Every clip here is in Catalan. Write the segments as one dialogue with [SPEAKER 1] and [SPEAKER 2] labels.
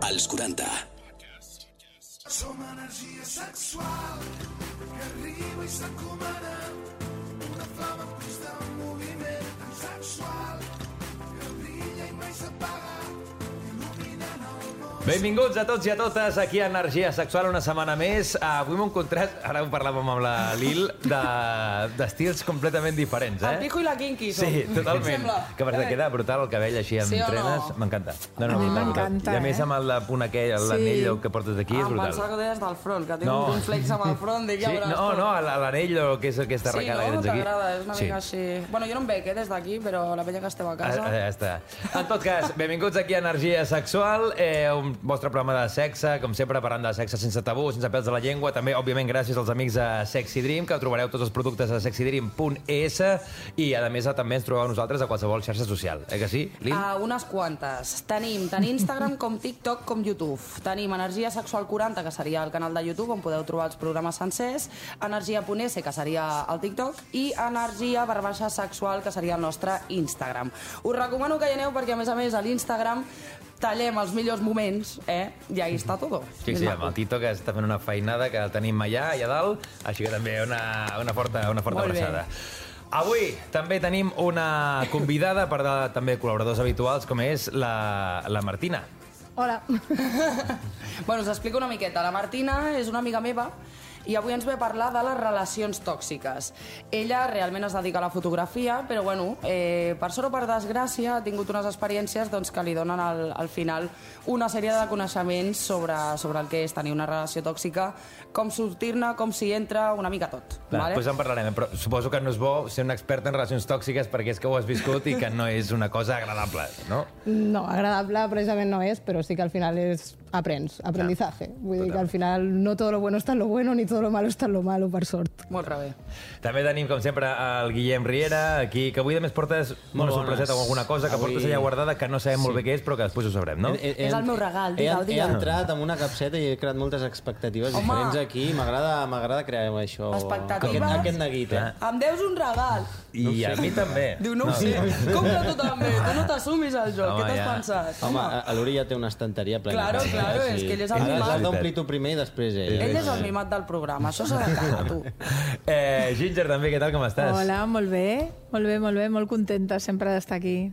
[SPEAKER 1] Als 40.
[SPEAKER 2] Som energia sexual que arriba i s'encomana, una flama en constant moviment tan sexual que brilla i mai s'apaga, il·luminant el món.
[SPEAKER 3] Benvinguts a tots i a totes aquí a Energia Sexual una setmana més. Avui m'ho encontrat, ara ho parlàvem amb la Lil, d'estils completament diferents,
[SPEAKER 4] El pijo i la kinky som.
[SPEAKER 3] Sí, totalment. Que per queda brutal el cabell així amb trenes. M'encanta.
[SPEAKER 5] A mi m'encanta,
[SPEAKER 3] I a més amb el punt aquell, l'anell que portes aquí, és
[SPEAKER 4] Em
[SPEAKER 3] brutal.
[SPEAKER 4] pensava que ho deies del front, que tinc un complex amb el front. Dic, ja veuràs tu.
[SPEAKER 3] No, l'anell que és aquesta arracada que tens aquí.
[SPEAKER 4] Sí, no? T'agrada, és una mica així. Bueno, jo no em veig, des d'aquí, però la penya que esteu a casa...
[SPEAKER 3] Ja està. En tot cas, benvinguts aquí a Energia Sexual, un vostre programa de sexe, com sempre, parlant de sexe sense tabú, sense pèls de la llengua, també, òbviament, gràcies als amics de Sexy Dream, que trobareu tots els productes a sexydream.es, i, a més, també ens trobeu nosaltres a qualsevol xarxa social. Que sí, Lil?
[SPEAKER 4] Unes quantes. Tenim tant Instagram com TikTok com YouTube. Tenim Energia Sexual 40, que seria el canal de YouTube, on podeu trobar els programes sencers, Energia.es, que seria el TikTok, i Energia_sexual, que seria el nostre Instagram. Us recomano que hi aneu perquè, a més, a l'Instagram tallem els millors moments, i ahí està tot.
[SPEAKER 3] Sí, amb el Tito, que està fent una feinada, que el tenim allà dalt, així que també una forta abraçada. Avui també tenim una convidada, per també col·laboradors habituals, com és la Martina.
[SPEAKER 5] Hola.
[SPEAKER 4] Bueno, us explico una miqueta. La Martina és una amiga meva i avui ens ve a parlar de les relacions tòxiques. Ella realment es dedica a la fotografia, però bueno, per sort o per desgràcia ha tingut unes experiències que li donen al final una sèrie de coneixements sobre el que és tenir una relació tòxica, com sortir-ne, com s'hi entra, una mica tot.
[SPEAKER 3] Després en parlarem, però suposo que no és bo ser un expert en relacions tòxiques perquè és que ho has viscut i que no és una cosa agradable, no?
[SPEAKER 5] No, agradable precisament no és, però sí que al final aprendizaje. Vull dir que al final no todo lo bueno está en lo bueno ni todo lo malo está en lo malo, per sort.
[SPEAKER 4] Molt bé.
[SPEAKER 3] També tenim, com sempre, el Guillem Riera, aquí, que avui a més portes una sorpreseta o alguna cosa que portes allà guardada que no sabem molt bé què és, però que després ho sabrem, no?
[SPEAKER 4] És el meu regal, digue'l.
[SPEAKER 6] He entrat amb una capseta i he creat moltes expectatives diferents aquí. M'agrada crear això.
[SPEAKER 4] Expectatives?
[SPEAKER 6] Aquest neguit,
[SPEAKER 4] Em deus un regal.
[SPEAKER 3] I a mi també.
[SPEAKER 4] Diu, no ho sé. Compra tu també. Tu no t'assumis al joc. Què t'has pensat?
[SPEAKER 6] Home, l'Uri ja té una estanteria plena.
[SPEAKER 4] Claro, és que ell és el mimat.
[SPEAKER 6] Has d'omplir tu primer i després ell.
[SPEAKER 4] Ell és el mimat del programa. Això s'ha de cagar, tu.
[SPEAKER 3] Ginger, també, què tal, com estàs?
[SPEAKER 5] Hola, molt bé, molt contenta sempre d'estar aquí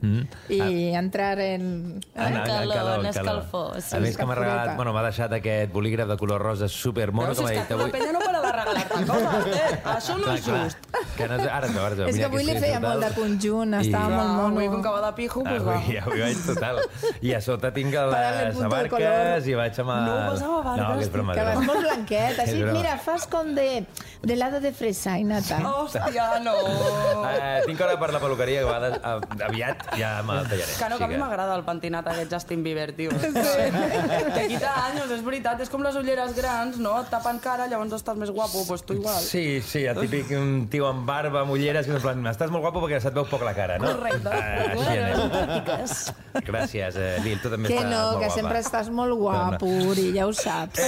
[SPEAKER 5] i entrar en
[SPEAKER 4] escalfor.
[SPEAKER 3] A més que m'ha regalat, m'ha deixat aquest bolígraf de color rosa supermono, com ha dit avui.
[SPEAKER 4] La penya no para de regalar-te coses, això no és just.
[SPEAKER 3] Ara es veu.
[SPEAKER 5] És que avui li feia molt de conjunt, estava molt mono.
[SPEAKER 4] Avui, com que va de pijo, doncs va.
[SPEAKER 3] Avui vaig total. I a sota tinc les abarques i vaig amb el...
[SPEAKER 4] No posava abarques.
[SPEAKER 3] No, que és broma.
[SPEAKER 5] Que vas molt blanquet, així, mira, fas com de helado de fresa i nata.
[SPEAKER 4] Hòstia, no.
[SPEAKER 3] Tinc hora per la peluqueria, que a vegades aviat ja me'l tallaré.
[SPEAKER 4] Que no, que a mi m'agrada el pentinat aquest Justin Bieber, tio. Te quita anys, és veritat, és com les ulleres grans, no? Et tapen cara, llavors estàs més guapo, doncs tu igual.
[SPEAKER 3] Sí, el típic tio amb barba, amb ulleres, que és en plan, estàs molt guapo perquè se't veu poc la cara, no?
[SPEAKER 4] Correcte.
[SPEAKER 3] Gràcies, Lil, tu també estàs molt guapa.
[SPEAKER 5] Que sempre estàs molt guapo, Uri, ja ho saps.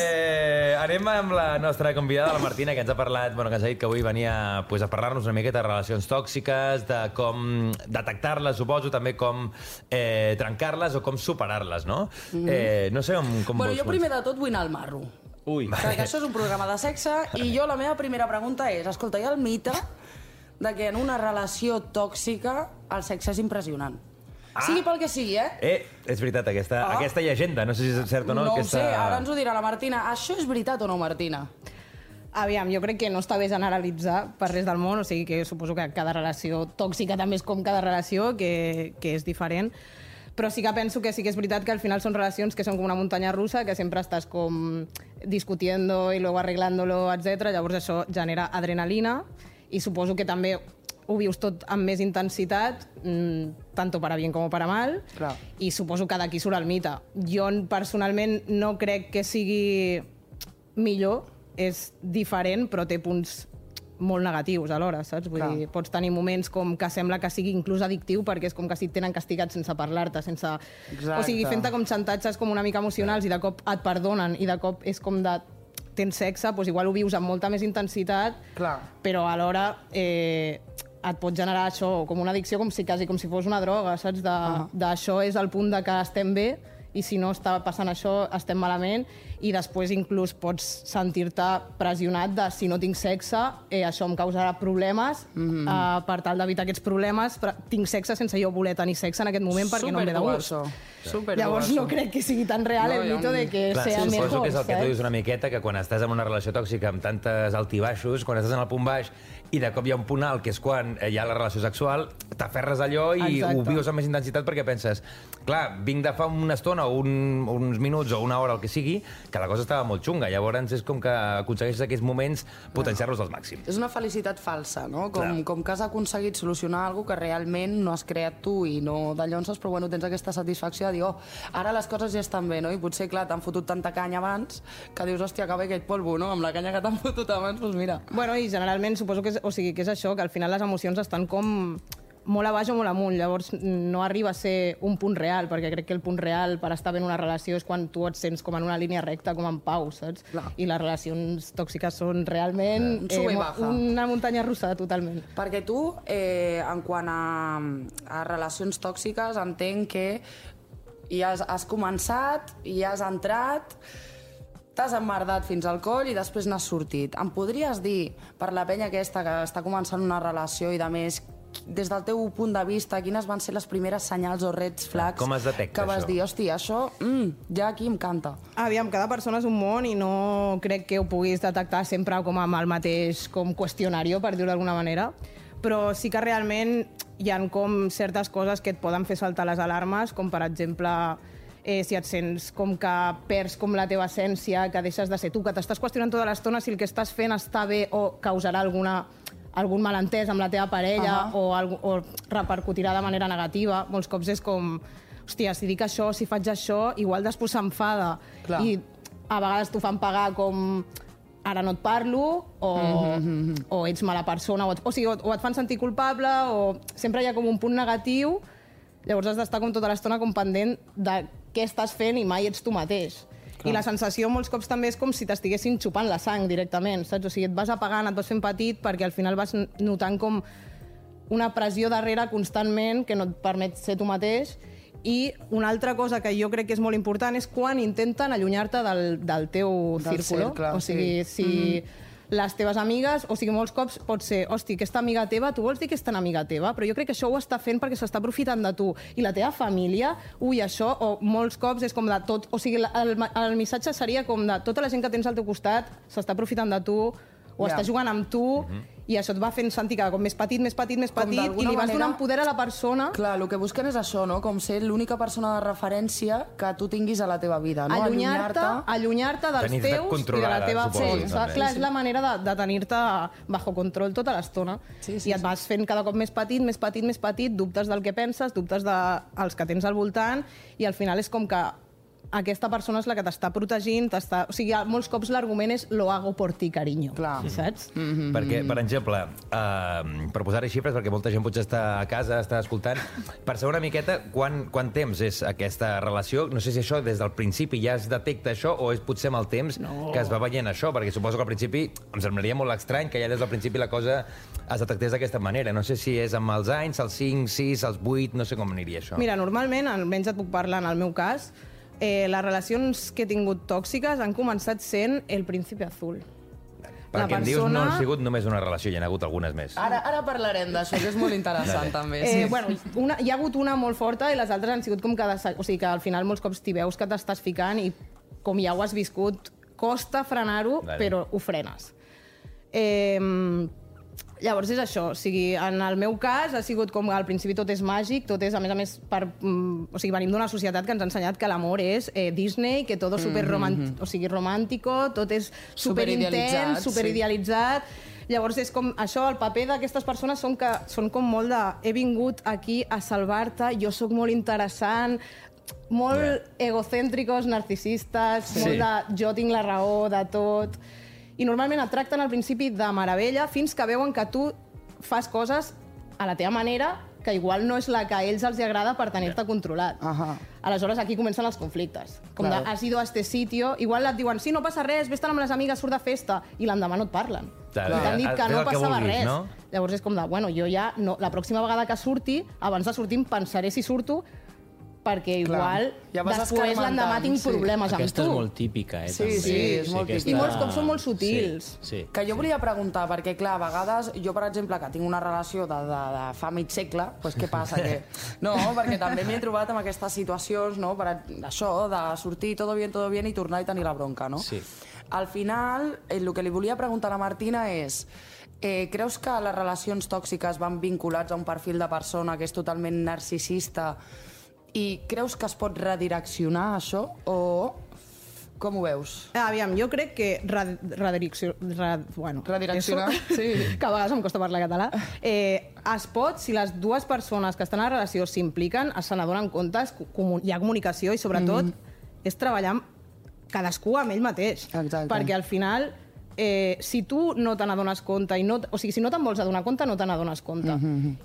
[SPEAKER 3] Anem amb la nostra convidada, la Martina, que ens ha parlat, que ens ha dit que avui venia a parlar-nos una miqueta de relacions tòxiques, de com detectar-les, suposo, també com trencar-les o com superar-les, no? No sé com
[SPEAKER 4] Bueno, jo primer de tot vull anar al marro.
[SPEAKER 6] Ui.
[SPEAKER 4] Perquè això és un programa de sexe i jo la meva primera pregunta és, escolta, hi ha el mite de que en una relació tòxica el sexe és impressionant. Sigui pel que sigui,
[SPEAKER 3] És veritat, aquesta llegenda, no sé si és cert o no.
[SPEAKER 4] No ho sé, ara ens ho dirà la Martina. Això és veritat o no, Martina?
[SPEAKER 5] Aviam, jo crec que no està bé generalitzar per res del món, o sigui que suposo que cada relació tòxica també és com cada relació, que és diferent, però sí que penso que sí que és veritat que al final són relacions que són com una muntanya russa, que sempre estàs com discutiendo y luego arreglándolo, etc. Llavors això genera adrenalina i suposo que també ho vius tot amb més intensitat, tanto para bien como para mal,
[SPEAKER 4] clar.
[SPEAKER 5] I suposo que d'aquí surt el mite. Jo personalment no crec que sigui millor, és diferent, però té punts molt negatius alhora, saps? Vull dir, pots tenir moments com que sembla que sigui inclús addictiu perquè és com que si et tenen castigat sense parlar-te, sense... O sigui, fent-te com xantatges com una mica emocionals i de cop et perdonen i de cop és com de... tens sexe, doncs igual ho vius amb molta més intensitat, però alhora et pot generar això com una addicció, com si fos una droga, saps? D'això és el punt de que estem bé i si no està passant això estem malament, i després inclús pots sentir-te pressionat de si no tinc sexe, això em causarà problemes, per tal d'evitar aquests problemes tinc sexe sense jo voler tenir sexe en aquest moment perquè no em ve de gust. Llavors no crec que sigui tan real el mito de que sea mejor.
[SPEAKER 3] Suposo que és el que tu dius una miqueta, que quan estàs en una relació tòxica amb tantes altibaixos, quan estàs en el punt baix i de cop hi ha un punt alt, que és quan hi ha la relació sexual, t'aferres a allò i ho vius amb més intensitat perquè penses, clar, vinc de fa una estona o uns minuts o una hora, el que sigui, que la cosa estava molt xunga. Llavors és com que aconsegueixes aquests moments potenciar-los al màxim.
[SPEAKER 4] És una felicitat falsa, no? Com que has aconseguit solucionar alguna cosa que realment no has creat tu i no de llonses, però bueno, tens aquesta satisfacció de dir, ara les coses ja estan bé, no? I potser, clar, t'han fotut tanta canya abans que dius, hòstia, acaba aquest polvo, no? Amb la canya que t'han fotut abans, doncs mira.
[SPEAKER 5] Bueno, i generalment suposo que és això, que al final les emocions estan com molt a baix o molt amunt, llavors no arriba a ser un punt real, perquè crec que el punt real per estar bé en una relació és quan tu et sents com en una línia recta, com en pau, saps? Clar. I les relacions tòxiques són realment una muntanya russa, totalment.
[SPEAKER 4] Perquè tu, en quant a relacions tòxiques, entenc que ja has començat, ja has entrat, t'has emmerdat fins al coll i després n'has sortit. Em podries dir, per la penya aquesta que està començant una relació i de més, des del teu punt de vista, quines van ser les primeres senyals o red flags
[SPEAKER 3] com es detecta
[SPEAKER 4] que vas dir, hòstia, això ja aquí em canta?
[SPEAKER 5] Aviam, cada persona és un món i no crec que ho puguis detectar sempre com amb el mateix com qüestionari, per dir-ho d'alguna manera, però sí que realment hi ha com certes coses que et poden fer saltar les alarmes, com per exemple si et sents com que perds com la teva essència, que deixes de ser tu, que t'estàs qüestionant tota l'estona si el que estàs fent està bé o causarà algun malentès amb la teva parella o repercutirà de manera negativa. Molts cops és com, hòstia, si dic això, si faig això, igual després s'enfada. I a vegades t'ho fan pagar com ara no et parlo, o ets mala persona, o et fan sentir culpable, o sempre hi ha com un punt negatiu. Llavors has d'estar com tota l'estona com pendent de què estàs fent i mai ets tu mateix. I la sensació molts cops també és com si t'estiguessin xupant la sang directament, saps? O sigui, et vas apagant, et vas fent petit perquè al final vas notant com una pressió darrere constantment que no et permet ser tu mateix. I una altra cosa que jo crec que és molt important és quan intenten allunyar-te del teu círculo. O sigui, si les teves amigues, o sigui, molts cops pot ser, hosti, aquesta amiga teva, tu vols dir que és tan amiga teva, però jo crec que això ho està fent perquè s'està aprofitant de tu. I la teva família, això, o molts cops és com de tot, o sigui, el missatge seria com de tota la gent que tens al teu costat s'està aprofitant de tu, o està jugant amb tu, i això et va fent sentir cada cop més petit, i li vas donant poder a la persona.
[SPEAKER 4] Clar, el que busquen és això, no? Com ser l'única persona de referència que tu tinguis a la teva vida, no?
[SPEAKER 5] Allunyar-te dels teus i de la teva força. Clar, és la manera de tenir-te bajo control tota l'estona. I et vas fent cada cop més petit, dubtes del que penses, dubtes dels que tens al voltant, i al final és com que aquesta persona és la que t'està protegint, o sigui, molts cops l'argument és lo hago por ti, cariño. Clar. Saps?
[SPEAKER 3] Perquè, per exemple, per posar-hi xifres, perquè molta gent potser està a casa, està escoltant, per saber una miqueta quant temps és aquesta relació, no sé si això des del principi ja es detecta això o és potser amb el temps que es va veient això, perquè suposo que al principi em semblaria molt estrany que ja des del principi la cosa es detectés d'aquesta manera. No sé si és amb els anys, els 5, 6, els 8, no sé com aniria això.
[SPEAKER 5] Mira, normalment, almenys et puc parlar en el meu cas, les relacions que he tingut tòxiques han començat sent el príncipe azul.
[SPEAKER 3] Perquè em dius no ha sigut només una relació, hi ha hagut algunes més.
[SPEAKER 4] Ara parlarem d'això, que és molt interessant també.
[SPEAKER 5] Bueno, hi ha hagut una molt forta i les altres han sigut com o sigui que al final molts cops t'hi veus que t'estàs ficant i com ja ho has viscut, costa frenar-ho, però ho frenes. Llavors és això, o sigui, en el meu cas ha sigut com al principi tot és màgic, tot és, a més, o sigui, venim d'una societat que ens ha ensenyat que l'amor és Disney, que tot és romàntico, tot és superintens, superidealitzat. Llavors és com això, el paper d'aquestes persones són com molt de he vingut aquí a salvar-te, jo sóc molt interessant, molt egocèntricos, narcisistes, molt de jo tinc la raó de tot. I normalment et tracten al principi de meravella fins que veuen que tu fas coses a la teva manera que igual no és la que a ells els agrada per tenir-te controlat. Aleshores aquí comencen els conflictes. Com de, has ido a este sitio, igual et diuen, sí, no passa res, vés-te'n amb les amigues, surt de festa, i l'endemà no et parlen. I t'han dit que no passava res. Llavors és com de, bueno, jo ja, la pròxima vegada que surti, abans de sortir em pensaré si surto, perquè igual després l'endemà tinc problemes amb tu.
[SPEAKER 6] Aquesta és molt típica,
[SPEAKER 4] Sí, és molt típica.
[SPEAKER 5] I molts cops són molt sutils.
[SPEAKER 4] Que jo volia preguntar, perquè clar, a vegades, jo per exemple, que tinc una relació de fa mig segle, doncs què passa? No, perquè també m'he trobat en aquestes situacions, no? Per això, de sortir tot bien i tornar i tenir la bronca, no?
[SPEAKER 6] Sí.
[SPEAKER 4] Al final, el que li volia preguntar a la Martina és creus que les relacions tòxiques van vinculats a un perfil de persona que és totalment narcisista i creus que es pot redireccionar això o com ho veus?
[SPEAKER 5] Aviam, jo crec que
[SPEAKER 4] redireccionar, sí.
[SPEAKER 5] Que a vegades em costa parlar català. Es pot, si les dues persones que estan a la relació s'impliquen, se n'adonen compte, hi ha comunicació i sobretot és treballar cadascú amb ell mateix.
[SPEAKER 4] Exacte.
[SPEAKER 5] Perquè al final, si tu no te n'adones compte, o sigui, si no te'n vols adonar compte, no te n'adones compte.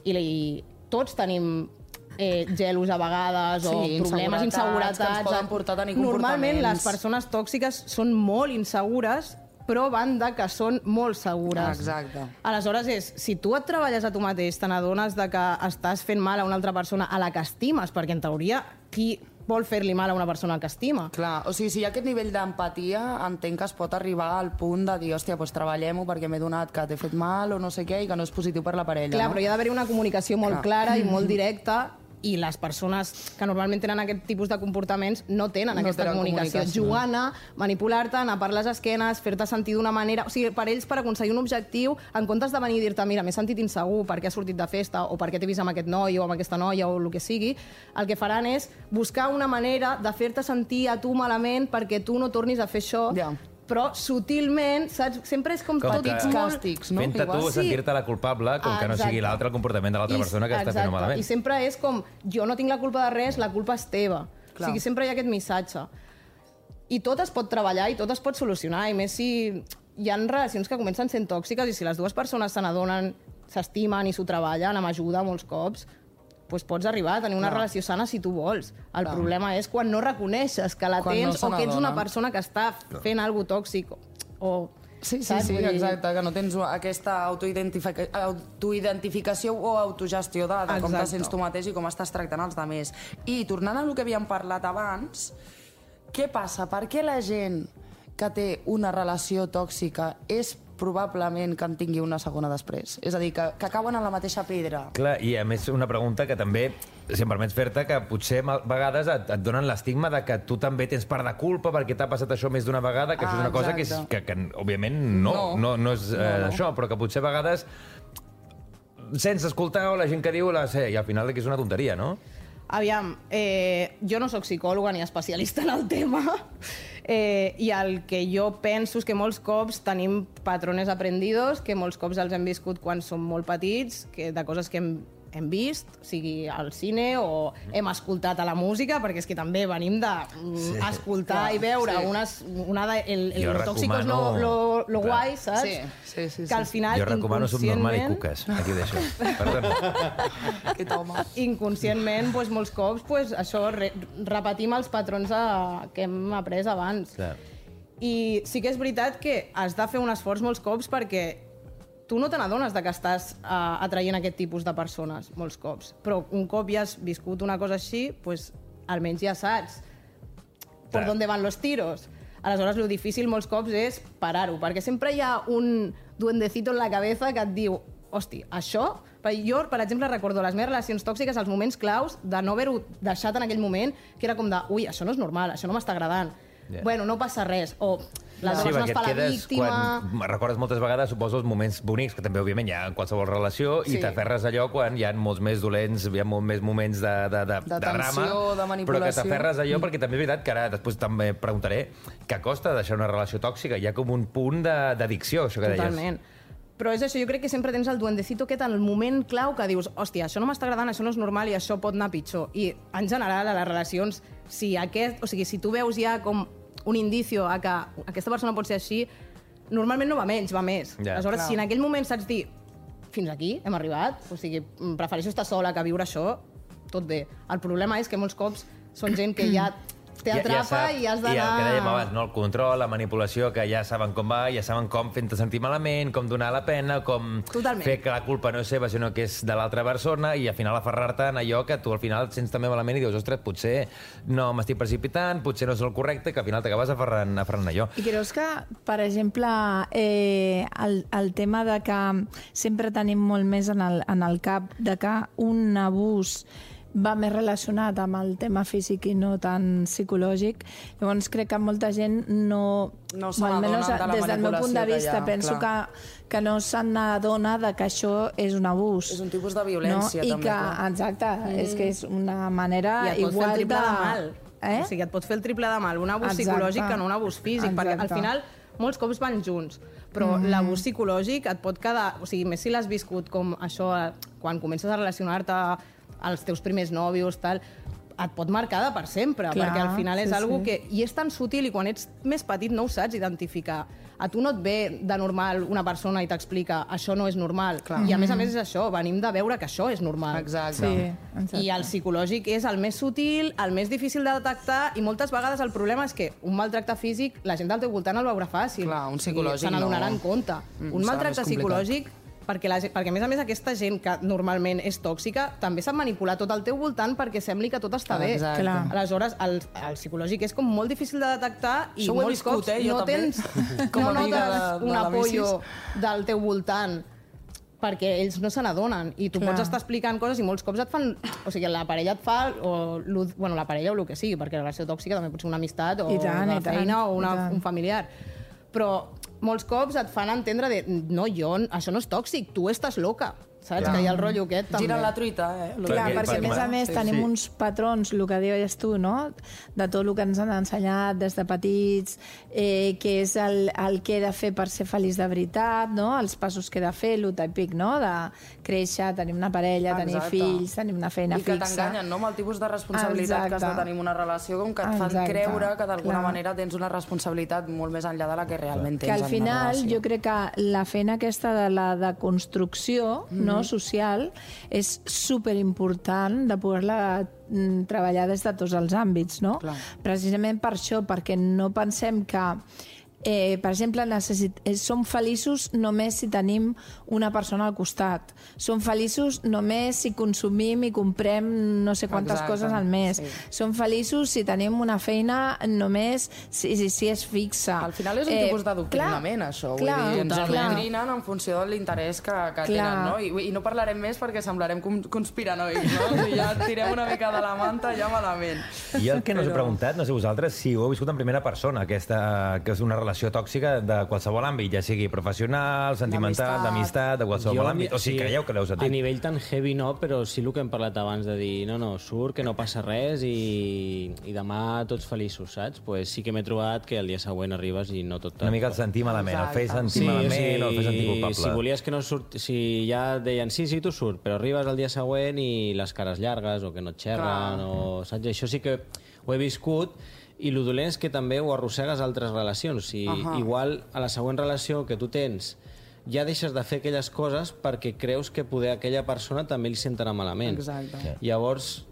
[SPEAKER 5] I tots tenim gelos a vegades, o problemes, inseguretats
[SPEAKER 4] que ens poden portar a tenir comportaments.
[SPEAKER 5] Normalment les persones tòxiques són molt insegures, però van de que són molt segures.
[SPEAKER 4] Exacte.
[SPEAKER 5] Aleshores si tu et treballes a tu mateix, te n'adones de que estàs fent mal a una altra persona a la que estimes, perquè en teoria qui vol fer-li mal a una persona que estima?
[SPEAKER 4] Clar, o sigui, si hi ha aquest nivell d'empatia, entenc que es pot arribar al punt de dir, hòstia, doncs treballem-ho perquè m'he donat que t'he fet mal o no sé què i que no és positiu per la parella.
[SPEAKER 5] Clar, però hi ha d'haver una comunicació molt clara i molt directa, i les persones que normalment tenen aquest tipus de comportaments no tenen aquesta comunicació. Jugant a manipular-te, anar per les esquenes, fer-te sentir d'una manera... O sigui, per ells, per aconseguir un objectiu, en comptes de venir i dir-te, mira, m'he sentit insegur perquè has sortit de festa o perquè t'he vist amb aquest noi o amb aquesta noia o el que sigui, el que faran és buscar una manera de fer-te sentir a tu malament perquè tu no tornis a fer això, però sutilment, saps? Sempre és com tot
[SPEAKER 4] càstigs, no?
[SPEAKER 3] Fent-te tu sentir-te la culpable, com que no sigui l'altre el comportament de l'altra persona que està fent malament.
[SPEAKER 5] I sempre és com, jo no tinc la culpa de res, la culpa és teva. O sigui, sempre hi ha aquest missatge. I tot es pot treballar i tot es pot solucionar, i més si hi ha relacions que comencen sent tòxiques i si les dues persones se n'adonen, s'estimen i s'ho treballen amb ajuda molts cops, doncs pots arribar a tenir una relació sana si tu vols. El problema és quan no reconeixes que la tens o que ets una persona que està fent alguna cosa tòxic o...
[SPEAKER 4] Sí, exacte, que no tens aquesta autoidentificació o autogestió de com te sents tu mateix i com estàs tractant els altres. I tornant a lo que havíem parlat abans, què passa? Per què la gent que té una relació tòxica és probablement que en tingui una segona després? És a dir, que cauen en la mateixa pedra.
[SPEAKER 3] Clar, i a més una pregunta que també, si em permets fer-te, que potser a vegades et donen l'estigma de que tu també tens part de culpa perquè t'ha passat això més d'una vegada, que això és una cosa que òbviament no és això, però que potser a vegades sense escoltar o la gent que diu i al final és una tonteria, no?
[SPEAKER 5] Aviam, jo no sóc psicòloga ni especialista en el tema, i el que jo penso és que molts cops tenim patrones aprendidos, que molts cops els hem viscut quan som molt petits, de coses que hem vist, sigui al cine o hem escoltat a la música, perquè és que també venim d'escoltar i veure el tòxico és lo guai, saps?
[SPEAKER 4] Sí.
[SPEAKER 5] Que al final,
[SPEAKER 3] jo recomano Subnormal i Cuques, aquí ho deixo. Perdona.
[SPEAKER 4] Aquest home.
[SPEAKER 5] Inconscientment, molts cops, això, repetim els patrons que hem après abans. I sí que és veritat que has de fer un esforç molts cops perquè tu no te n'adones que estàs atraient aquest tipus de persones, molts cops. Però un cop ja has viscut una cosa així, almenys ja saps per on van los tiros. Aleshores, lo difícil molts cops és parar-ho, perquè sempre hi ha un duendecito en la cabeza que et diu, hosti, això... Jo, per exemple, recordo les meves relacions tòxiques, els moments claus de no haver-ho deixat en aquell moment, que era com de, ui, això no és normal, això no m'està agradant. Bueno, no passa res, o la persona es fa la víctima...
[SPEAKER 3] Quan recordes moltes vegades, suposo, els moments bonics, que també, òbviament, hi ha en qualsevol relació, i t'aferres allò quan hi ha molts més dolents, hi ha molts més moments de drama,
[SPEAKER 4] de manipulació.
[SPEAKER 3] però que t'aferres allò, perquè també és veritat que ara després també preguntaré què costa deixar una relació tòxica. Hi ha com un punt d'addicció, això que deies.
[SPEAKER 5] Totalment. Però és això, jo crec que sempre tens el duendecito aquest en el moment clau que dius, hòstia, això no m'està agradant, això no és normal i això pot anar pitjor. I, en general, a les relacions, si tu veus ja com un indicio a que aquesta persona pot ser així, normalment no va menys, va més. Aleshores, si en aquell moment saps dir, fins aquí hem arribat, o sigui, prefereixo estar sola que viure això, tot bé. El problema és que molts cops són gent que ja t'atrapa i has d'anar...
[SPEAKER 3] I el que dèiem abans, no? El control, la manipulació, que ja saben com va, ja saben com fent-te sentir malament, com donar la pena, com fer que la culpa no és seva, sinó que és de l'altra persona, i al final aferrar-te en allò que tu al final et sents també malament i dius, ostres, potser no m'estic precipitant, potser no és el correcte, que al final t'acabes aferrant allò.
[SPEAKER 7] I creus que, per exemple, el tema de que sempre tenim molt més en el cap de que un abús va més relacionat amb el tema físic i no tan psicològic. Llavors crec que molta gent no
[SPEAKER 4] se n'adona de la
[SPEAKER 7] des del meu punt de vista, penso que no se n'adona de que això és un abús.
[SPEAKER 4] És un tipus de violència,
[SPEAKER 7] no?
[SPEAKER 4] també.
[SPEAKER 7] Exacte, és que és una manera
[SPEAKER 5] I et pot fer el triple de mal.
[SPEAKER 7] O
[SPEAKER 5] sigui, et pot fer el triple de mal, un abús psicològic que no un abús físic, perquè al final molts cops van junts, però l'abús psicològic et pot quedar... O sigui, més si l'has viscut com això, quan comences a relacionar-te als teus primers nòvios, tal, et pot marcar de per sempre, perquè al final és algo que... I és tan sutil, i quan ets més petit no ho saps identificar. A tu no et ve de normal una persona i t'explica això no és normal. I a més és això, venim de veure que això és normal.
[SPEAKER 4] Exacte.
[SPEAKER 5] I el psicològic és el més sutil, el més difícil de detectar, i moltes vegades el problema és que un maltracte físic la gent del teu voltant el veurà fàcil.
[SPEAKER 4] Clar, un psicològic
[SPEAKER 5] se n'adonarà en compte. Un maltracte psicològic, perquè a més aquesta gent que normalment és tòxica també sap manipular tot al teu voltant perquè sembli que tot està bé. Aleshores, el psicològic és com molt difícil de detectar i molts cops no tens no notes un apoyo del teu voltant perquè ells no se n'adonen i tu pots estar explicant coses i molts cops et fan... O sigui, la parella et fa... Bueno, la parella o el que sigui, perquè la relació tòxica també pot ser una amistat o una feina o un familiar. Però molts cops et fan entendre de no, això no és tòxic, tu estàs loca. Saps? Que hi ha el rotllo aquest, també.
[SPEAKER 4] Giren la truita,
[SPEAKER 7] Clar, perquè a més tenim uns patrons, el que deies tu, no? De tot el que ens han ensenyat des de petits, que és el que he de fer per ser feliç de veritat, no? Els passos que he de fer, el típic, no? De créixer, tenir una parella, tenir fills, tenir una feina fixa.
[SPEAKER 4] I que t'enganyen, no? Amb el tipus de responsabilitat que has de tenir una relació, com que et fan creure que d'alguna manera tens una responsabilitat molt més enllà de la que realment tens en una relació.
[SPEAKER 7] Que al final jo crec que la feina aquesta de la deconstrucció, social, és superimportant de poder-la treballar des de tots els àmbits, no? Precisament per això, perquè no pensem que per exemple, som feliços només si tenim una persona al costat. Som feliços només si consumim i comprem no sé quantes coses al mes. Som feliços si tenim una feina només si és fixa.
[SPEAKER 4] Al final és un tipus d'adoctrinament, això. Vull dir, ens adoctrinen en funció de l'interès que tenen, no? I no parlarem més perquè semblarem conspiranois, no? Si ja tirem una mica de la manta, ja malament.
[SPEAKER 3] I el que no us he preguntat, no sé vosaltres, si ho heu viscut en primera persona, aquesta, que és una relació tòxica de qualsevol àmbit, ja sigui professional, sentimental, d'amistat, de qualsevol àmbit. O sigui, creieu que l'heu sentit?
[SPEAKER 6] A nivell tan heavy no, però sí el que hem parlat abans de dir no, surt, que no passa res i demà tots feliços, saps? Pues sí que m'he trobat que el dia següent arribes i no tot...
[SPEAKER 3] Una mica el sentir malament, el fer sentir malament o el fer sentir culpable.
[SPEAKER 6] Si volies que no surt... Si ja deien sí, tu surt, però arribes el dia següent i les cares llargues o que no et xerren o... Saps? Això sí que ho he viscut. I el dolent és que també ho arrossegues a altres relacions. Igual a la següent relació que tu tens ja deixes de fer aquelles coses perquè creus que poder aquella persona també li sentarà malament.
[SPEAKER 4] Exacte.
[SPEAKER 6] Llavors,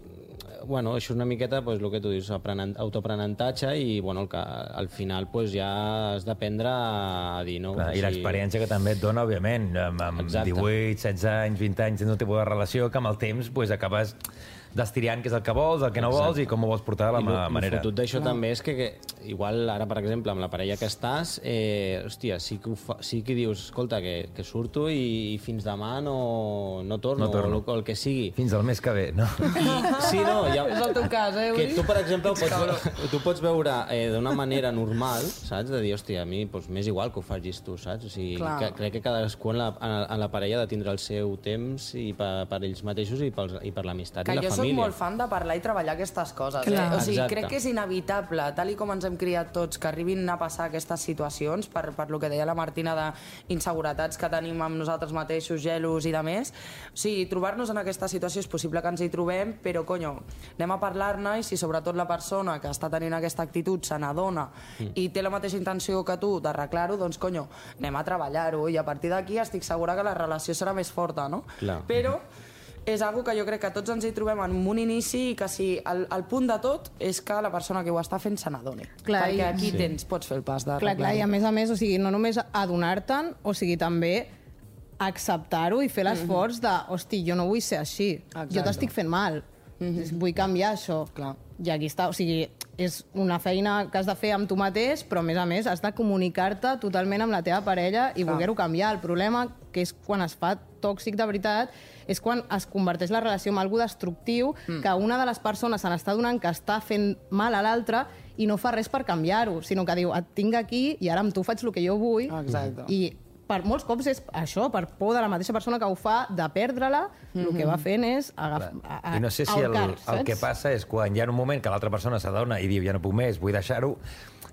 [SPEAKER 6] bueno, això és una miqueta el que tu dius, autoaprenentatge i al final ja has d'aprendre a dir no.
[SPEAKER 3] I l'experiència que també et dona, òbviament, amb 18, 16 anys, 20 anys, tens un tipus de relació que amb el temps acabes destriant què és el que vols, el que no vols i com ho vols portar de la manera.
[SPEAKER 6] I el fotut d'això també és que igual ara, per exemple, amb la parella que estàs, hòstia, sí que dius, escolta, que surto i fins demà no torno. O el que sigui.
[SPEAKER 3] Fins al mes que ve, no?
[SPEAKER 6] Sí, no, ja...
[SPEAKER 4] És el teu cas,
[SPEAKER 6] Que tu, per exemple, tu pots veure d'una manera normal, saps? De dir, hòstia, a mi m'és igual que ho facis tu, saps? O sigui, crec que cadascú en la parella ha de tindre el seu temps i per ells mateixos i per l'amistat i la família.
[SPEAKER 4] Soc molt fan de parlar i treballar aquestes coses. O sigui, crec que és inevitable, tal i com ens hem criat tots, que arribin a passar aquestes situacions, per lo que deia la Martina d'inseguretats que tenim amb nosaltres mateixos, gelos i de més. O sigui, trobar-nos en aquesta situació és possible que ens hi trobem, però, conyo, anem a parlar-ne i si sobretot la persona que està tenint aquesta actitud se n'adona i té la mateixa intenció que tu d'arreglar-ho, doncs, conyo, anem a treballar-ho i a partir d'aquí estic segura que la relació serà més forta, no?
[SPEAKER 6] Clar.
[SPEAKER 4] Però és algo que jo crec que tots ens hi trobem en un inici i que si el punt de tot és que la persona que ho està fent se n'adoni. Perquè aquí pots fer el pas de
[SPEAKER 5] clar, i a més, o sigui, no només adonar-te'n, o sigui, també acceptar-ho i fer l'esforç de, hosti, jo no vull ser així, jo t'estic fent mal, vull canviar això. I aquí està, o sigui, és una feina que has de fer amb tu mateix, però a més has de comunicar-te totalment amb la teva parella i voler-ho canviar. El problema, que és quan es fa tòxic de veritat, és quan es converteix la relació en algo destructiu, que una de les persones se n'està donant que està fent mal a l'altra i no fa res per canviar-ho, sinó que diu, et tinc aquí i ara amb tu faig el que jo vull. I per molts cops és això, per por de la mateixa persona que ho fa, de perdre-la, el que va fent és
[SPEAKER 3] I no sé si el que passa és quan hi ha un moment que l'altra persona s'adona i diu, ja no puc més, vull deixar-ho,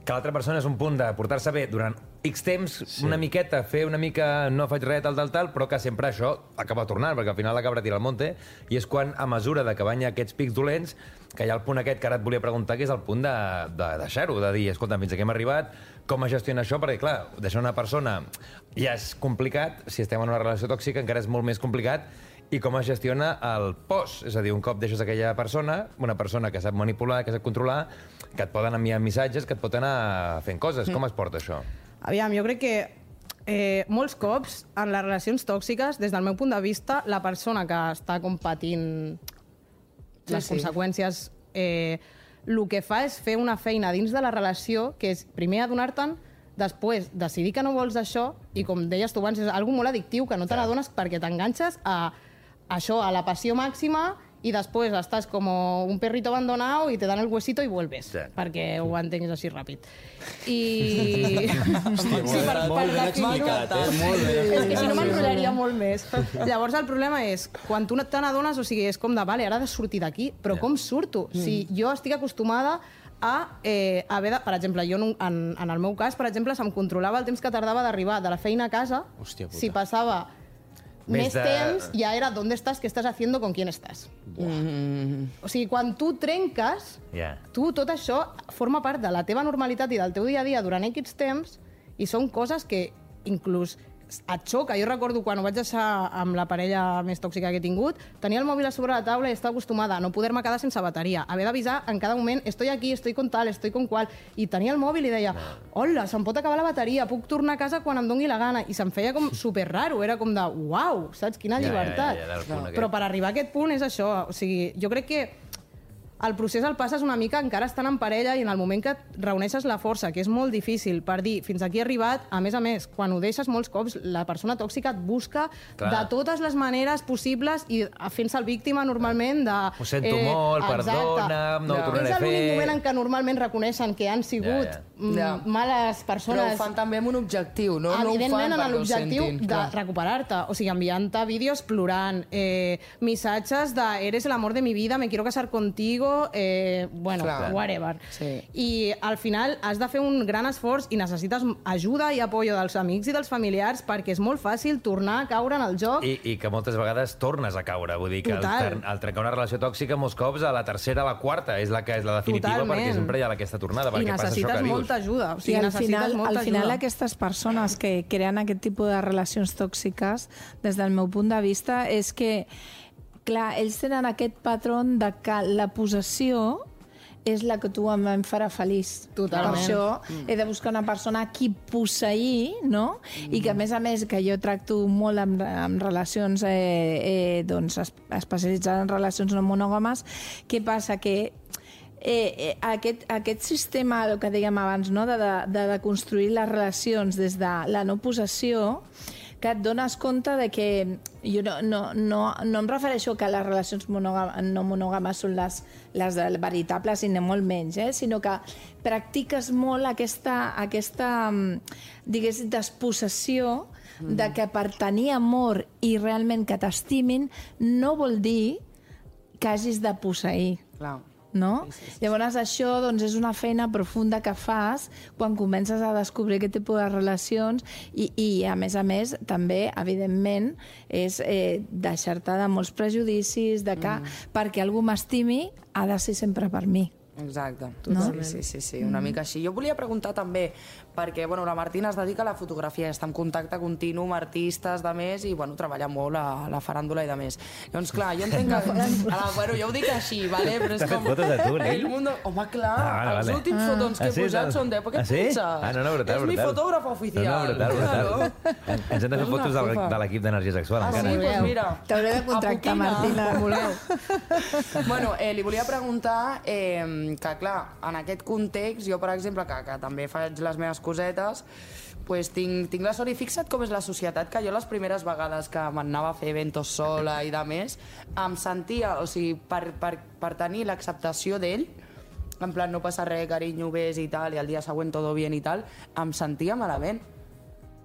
[SPEAKER 3] que l'altra persona és un punt de portar-se bé durant X temps, una miqueta, fer una mica, no faig res, tal, però que sempre això acaba tornant, perquè al final la cabra tira al monte, i és quan, a mesura de que van aquests pics dolents, que hi ha el punt aquest que ara et volia preguntar, que és el punt de deixar-ho, de dir, escolta, fins aquí hem arribat, com es gestiona això? Perquè, clar, deixar una persona ja és complicat, si estem en una relació tòxica encara és molt més complicat, i com es gestiona el post. És a dir, un cop deixes aquella persona, una persona que sap manipular, que sap controlar, que et poden enviar missatges, que et pot anar fent coses. Com es porta això?
[SPEAKER 5] Aviam, jo crec que molts cops en les relacions tòxiques, des del meu punt de vista, la persona que està patint les conseqüències, el que fa és fer una feina dins de la relació, que és primer adonar-te'n, després decidir que no vols això, i com deies tu abans, és algo molt addictiu, que no te n'adones perquè t'enganxes a això, a la passió màxima, i després estàs com un perrito abandonado i te dan el huesito i vuelves, perquè ho entenguis així ràpid. I...
[SPEAKER 6] Molt ben explicat, molt bé.
[SPEAKER 5] És que si no m'enrotllaria molt més. Llavors el problema és, quan tu te n'adones, o sigui, és com de, vale, ara he de sortir d'aquí, però com surto? Si jo estic acostumada a haver de... Per exemple, jo en el meu cas, per exemple, se'm controlava el temps que tardava d'arribar de la feina a casa. Si passava més temps, ja era ¿dónde estás? ¿Qué estás haciendo? ¿Con quién estás? O sigui, quan tu trenques, tu tot això forma part de la teva normalitat i del teu dia a dia durant X temps, i són coses que inclús et xoca. Jo recordo quan ho vaig deixar amb la parella més tòxica que he tingut, tenia el mòbil a sobre la taula i estava acostumada a no poder-me quedar sense bateria, haver d'avisar en cada moment, estoy aquí, estoy con tal, estoy con qual, i tenia el mòbil i deia, hola, se'm pot acabar la bateria, puc tornar a casa quan em doni la gana, i se'm feia com superraro, era com de, uau, saps, quina llibertat. Però per arribar a aquest punt és això, o sigui, jo crec que el procés el passes una mica encara estant en parella i en el moment que reuneixes la força, que és molt difícil, per dir, fins aquí he arribat, a més, quan ho deixes molts cops, la persona tòxica et busca de totes les maneres possibles i fent-se el víctima normalment de...
[SPEAKER 3] Ho sento molt, perdona'm, no ho tornaré a fer...
[SPEAKER 5] És l'únic moment en què normalment reconeixen que han sigut males persones...
[SPEAKER 4] Però ho fan també amb un objectiu, no?
[SPEAKER 5] Evidentment, en l'objectiu de recuperar-te, o sigui, enviant-te vídeos plorant, missatges de eres el amor de mi vida, me quiero casar contigo, bueno, whatever. I al final has de fer un gran esforç i necessites ajuda i apoyo dels amics i dels familiars perquè és molt fàcil tornar a caure en el joc.
[SPEAKER 3] I que moltes vegades tornes a caure. Vull dir que al trencar una relació tòxica molts cops a la tercera, a la quarta és la que és la definitiva perquè sempre hi ha aquesta tornada.
[SPEAKER 5] I necessites molta ajuda. O sigui,
[SPEAKER 7] al final aquestes persones que creen aquest tipus de relacions tòxiques, des del meu punt de vista, és que clar, ells tenen aquest patró de que la possessió és la que tu em farà feliç.
[SPEAKER 5] Totalment.
[SPEAKER 7] Per això he de buscar una persona a qui posseir, no? I que, a més, que jo tracto molt amb relacions especialitzades en relacions no monògames. Què passa? Que aquest sistema, el que dèiem abans, no? de construir les relacions des de la no possessió, que et dones compte de que jo no em refereixo que les relacions no monògames són les veritables i molt menys, sinó que practiques molt aquesta diguéssim, despossessió de que per tenir amor i realment que t'estimin no vol dir que hagis de posseir.
[SPEAKER 4] Clar.
[SPEAKER 7] No? Llavors això és una feina profunda que fas quan comences a descobrir aquest tipus de relacions i a més també, evidentment, és deixar-te de molts prejudicis de que perquè algú m'estimi ha de ser sempre per mi.
[SPEAKER 4] Exacte. Sí, una mica així. Jo volia preguntar també, perquè la Martina es dedica a la fotografia, està en contacte continu amb artistes, de més, i treballa molt a la faràndula i de més. Llavors, clar, jo entenc que... jo ho dic així, vale? Però és com...
[SPEAKER 3] T'has fet fotos a tu, Lil?
[SPEAKER 4] Home, clar, els últims fotons que he posat són d'època. Què et penses?
[SPEAKER 3] No, brutal.
[SPEAKER 4] És mi fotògrafa oficial.
[SPEAKER 3] Brutal. Ens hem de fer fotos de l'equip d'Energia Sexual, encara.
[SPEAKER 4] Sí, doncs mira.
[SPEAKER 7] T'hauré de contractar, Martina.
[SPEAKER 4] Bueno, li volia preguntar que, clar, en aquest context, jo, per exemple, que també faig les meves cosetes, pues tinc la sort, i fixa't com és la societat, que jo les primeres vegades que m'anava a fer eventos sola i de més, em sentia, o sigui, per tenir l'acceptació d'ell, en plan, no passa res, carinyo, ves i tal, i al dia següent todo bien i tal, em sentia malament.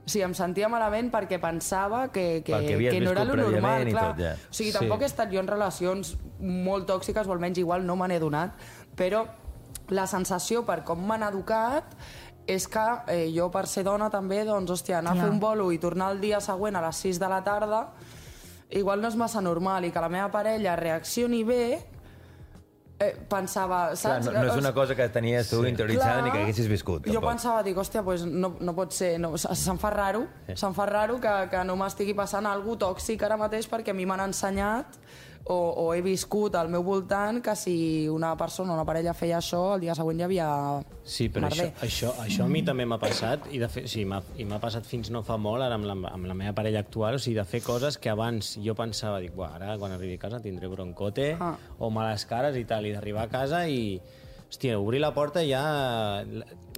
[SPEAKER 4] O sigui, em sentia malament perquè pensava que no era lo normal, clar. O sigui, tampoc he estat jo en relacions molt tòxiques, o almenys igual no me n'he donat, però la sensació per com m'han educat és que jo, per ser dona també, doncs, hòstia, anar a fer un bolo i tornar el dia següent a les 6 de la tarda igual no és massa normal, i que la meva parella reaccioni bé, pensava, saps?
[SPEAKER 3] Clar, no és una cosa que tenies tu interioritzada ni que haguessis viscut.
[SPEAKER 4] Jo pensava, dic, hòstia, pues no pot ser, se'm fa raro que no m'estigui passant alguna cosa tòxic ara mateix, perquè a mi m'han ensenyat o he viscut al meu voltant que si una persona o una parella feia això, el dia següent hi havia
[SPEAKER 6] Sí, però això a mi també m'ha passat, i de fet, sí, m'ha passat fins no fa molt, ara amb la meva parella actual, o sigui, de fer coses que abans jo pensava, dic, ara quan arribi a casa tindré broncote o males cares i tal, i d'arribar a casa i, hòstia, obrir la porta ja...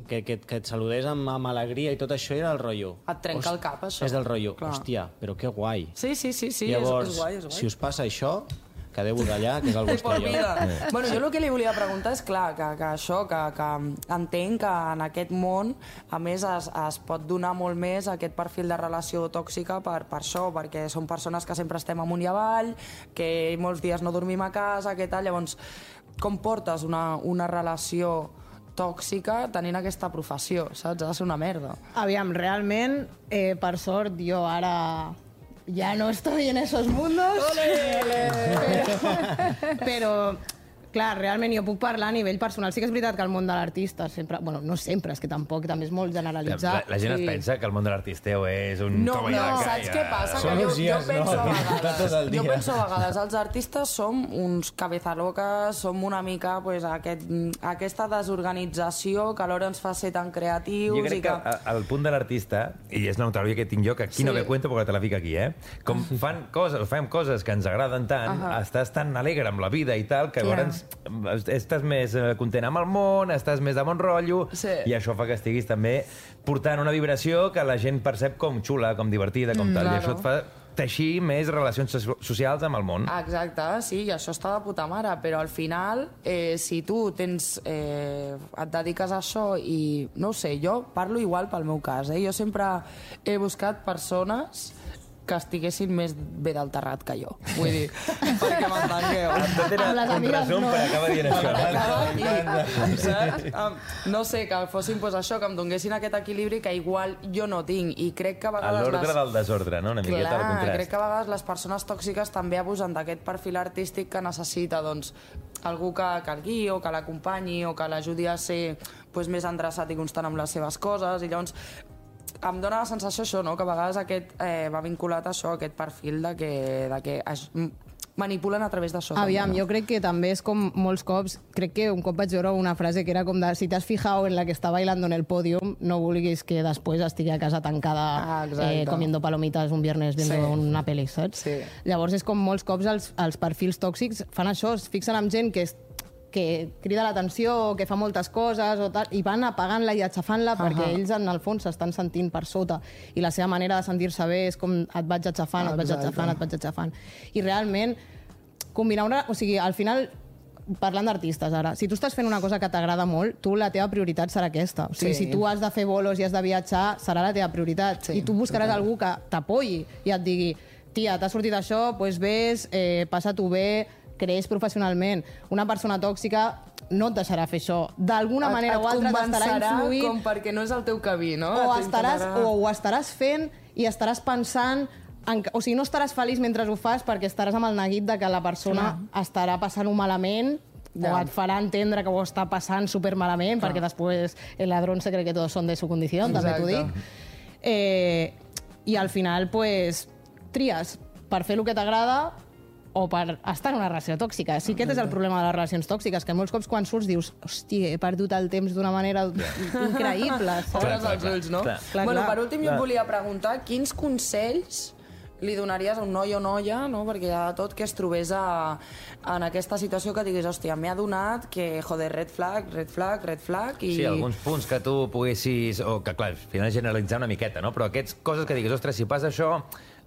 [SPEAKER 6] Que et saludés amb alegria i tot això era el rotllo.
[SPEAKER 4] Et trenca el cap, això.
[SPEAKER 6] És del rotllo, hòstia, però que guai.
[SPEAKER 4] Sí,
[SPEAKER 6] llavors,
[SPEAKER 4] és guai.
[SPEAKER 6] Si us passa això, quedeu-vos allà, que és el vostre lloc.
[SPEAKER 4] Bueno, jo el que li volia preguntar és, clar, que això, que entenc que en aquest món, a més, es pot donar molt més aquest perfil de relació tòxica per això, perquè són persones que sempre estem amunt i avall, que molts dies no dormim a casa, que tal, llavors, com portes una relació tòxica tenint aquesta professió, saps? Ha de ser una merda.
[SPEAKER 5] Aviam, realment, per sort, jo ara ja no estoy en esos mundos. Pero clar, realment jo puc parlar a nivell personal. Sí que és veritat que el món de l'artista sempre... Bueno, no sempre, és que tampoc, també és molt generalitzat.
[SPEAKER 3] La gent es pensa que el món de l'artisteu és un toma i la
[SPEAKER 4] saps què passa? Que jo penso a vegades, els artistes som uns cabezaloques, som una mica aquesta desorganització que alhora ens fa ser tan creatius.
[SPEAKER 3] Jo crec que el punt de l'artista, i és una notària que tinc jo, que aquí no ve cuento perquè te la fico aquí, com fem coses que ens agraden tant, estàs tan alegre amb la vida i tal, que llavors estàs més content amb el món, estàs més de bon rotllo, i això fa que estiguis també portant una vibració que la gent percep com xula, com divertida, com tal, i això et fa teixir més relacions socials amb el món.
[SPEAKER 4] Exacte, sí, i això està de puta mare, però al final, si tu et dediques a això i, no ho sé, jo parlo igual pel meu cas, jo sempre he buscat persones que estiguessin més bé del terrat que jo. Vull dir, perquè m'entengueu.
[SPEAKER 3] Tot era un resum per acabar dient això.
[SPEAKER 4] No sé, que fossin això, que em donguessin aquest equilibri que igual jo no tinc. I crec que a vegades...
[SPEAKER 3] L'ordre del desordre, no? Una miqueta del contrast.
[SPEAKER 4] Crec que a vegades les persones tòxiques també abusen d'aquest perfil artístic que necessita, doncs, algú que el guiï o que l'acompanyi o que l'ajudi a ser més endreçat i constant amb les seves coses, i llavors em dóna la sensació això, no? Que a vegades aquest va vinculat a això, aquest perfil de que manipulen a través d'això.
[SPEAKER 5] Aviam, jo crec que també és com molts cops, crec que un cop vaig veure una frase que era com de si t'has fijado en la que està bailando en el podium, no vulguis que després estigui a casa tancada comiendo palomitas un viernes viendo una pel·li, saps?
[SPEAKER 4] Sí.
[SPEAKER 5] Llavors és com molts cops els perfils tòxics fan això, es fixen en gent que crida l'atenció, que fa moltes coses o tal, i van apagant-la i aixafant-la perquè ells en el fons s'estan sentint per sota, i la seva manera de sentir-se bé és com et vaig aixafant, et vaig aixafant. I realment combinar o sigui, al final, parlant d'artistes ara, si tu estàs fent una cosa que t'agrada molt, tu la teva prioritat serà aquesta. O sigui, si tu has de fer bolos i has de viatjar, serà la teva prioritat. I tu buscaràs algú que t'apoyi i et digui, tia, t'ha sortit això, doncs vés, passa-t'ho bé, creix professionalment. Una persona tòxica no et deixarà fer això. D'alguna manera o altra t'estarà influint.
[SPEAKER 4] Com perquè no és el teu camí, no?
[SPEAKER 5] O ho estaràs fent i estaràs pensant... O sigui, no estaràs feliç mentre ho fas perquè estaràs amb el neguit de que la persona estarà passant-ho malament o et farà entendre que ho està passant supermalament, perquè després el ladrón se cree que todos son de su condición, també t'ho dic. I al final, pues, tries per fer el que t'agrada o per estar en una relació tòxica. Sí, aquest és el problema de les relacions tòxiques, que molts cops quan surts dius, hòstia, he perdut el temps d'una manera increïble.
[SPEAKER 4] Obres els ulls, no? Bueno, per últim, jo et volia preguntar quins consells li donaries a un noi o noia, no? Perquè hi ha tot que es trobés en aquesta situació que diguis, hòstia, m'he adonat que, joder, red flag, red flag, red flag... I...
[SPEAKER 3] Sí, alguns punts que tu poguessis... O que, clar, al final generalitzar una miqueta, no? Però aquestes coses que diguis, ostres, si passa això,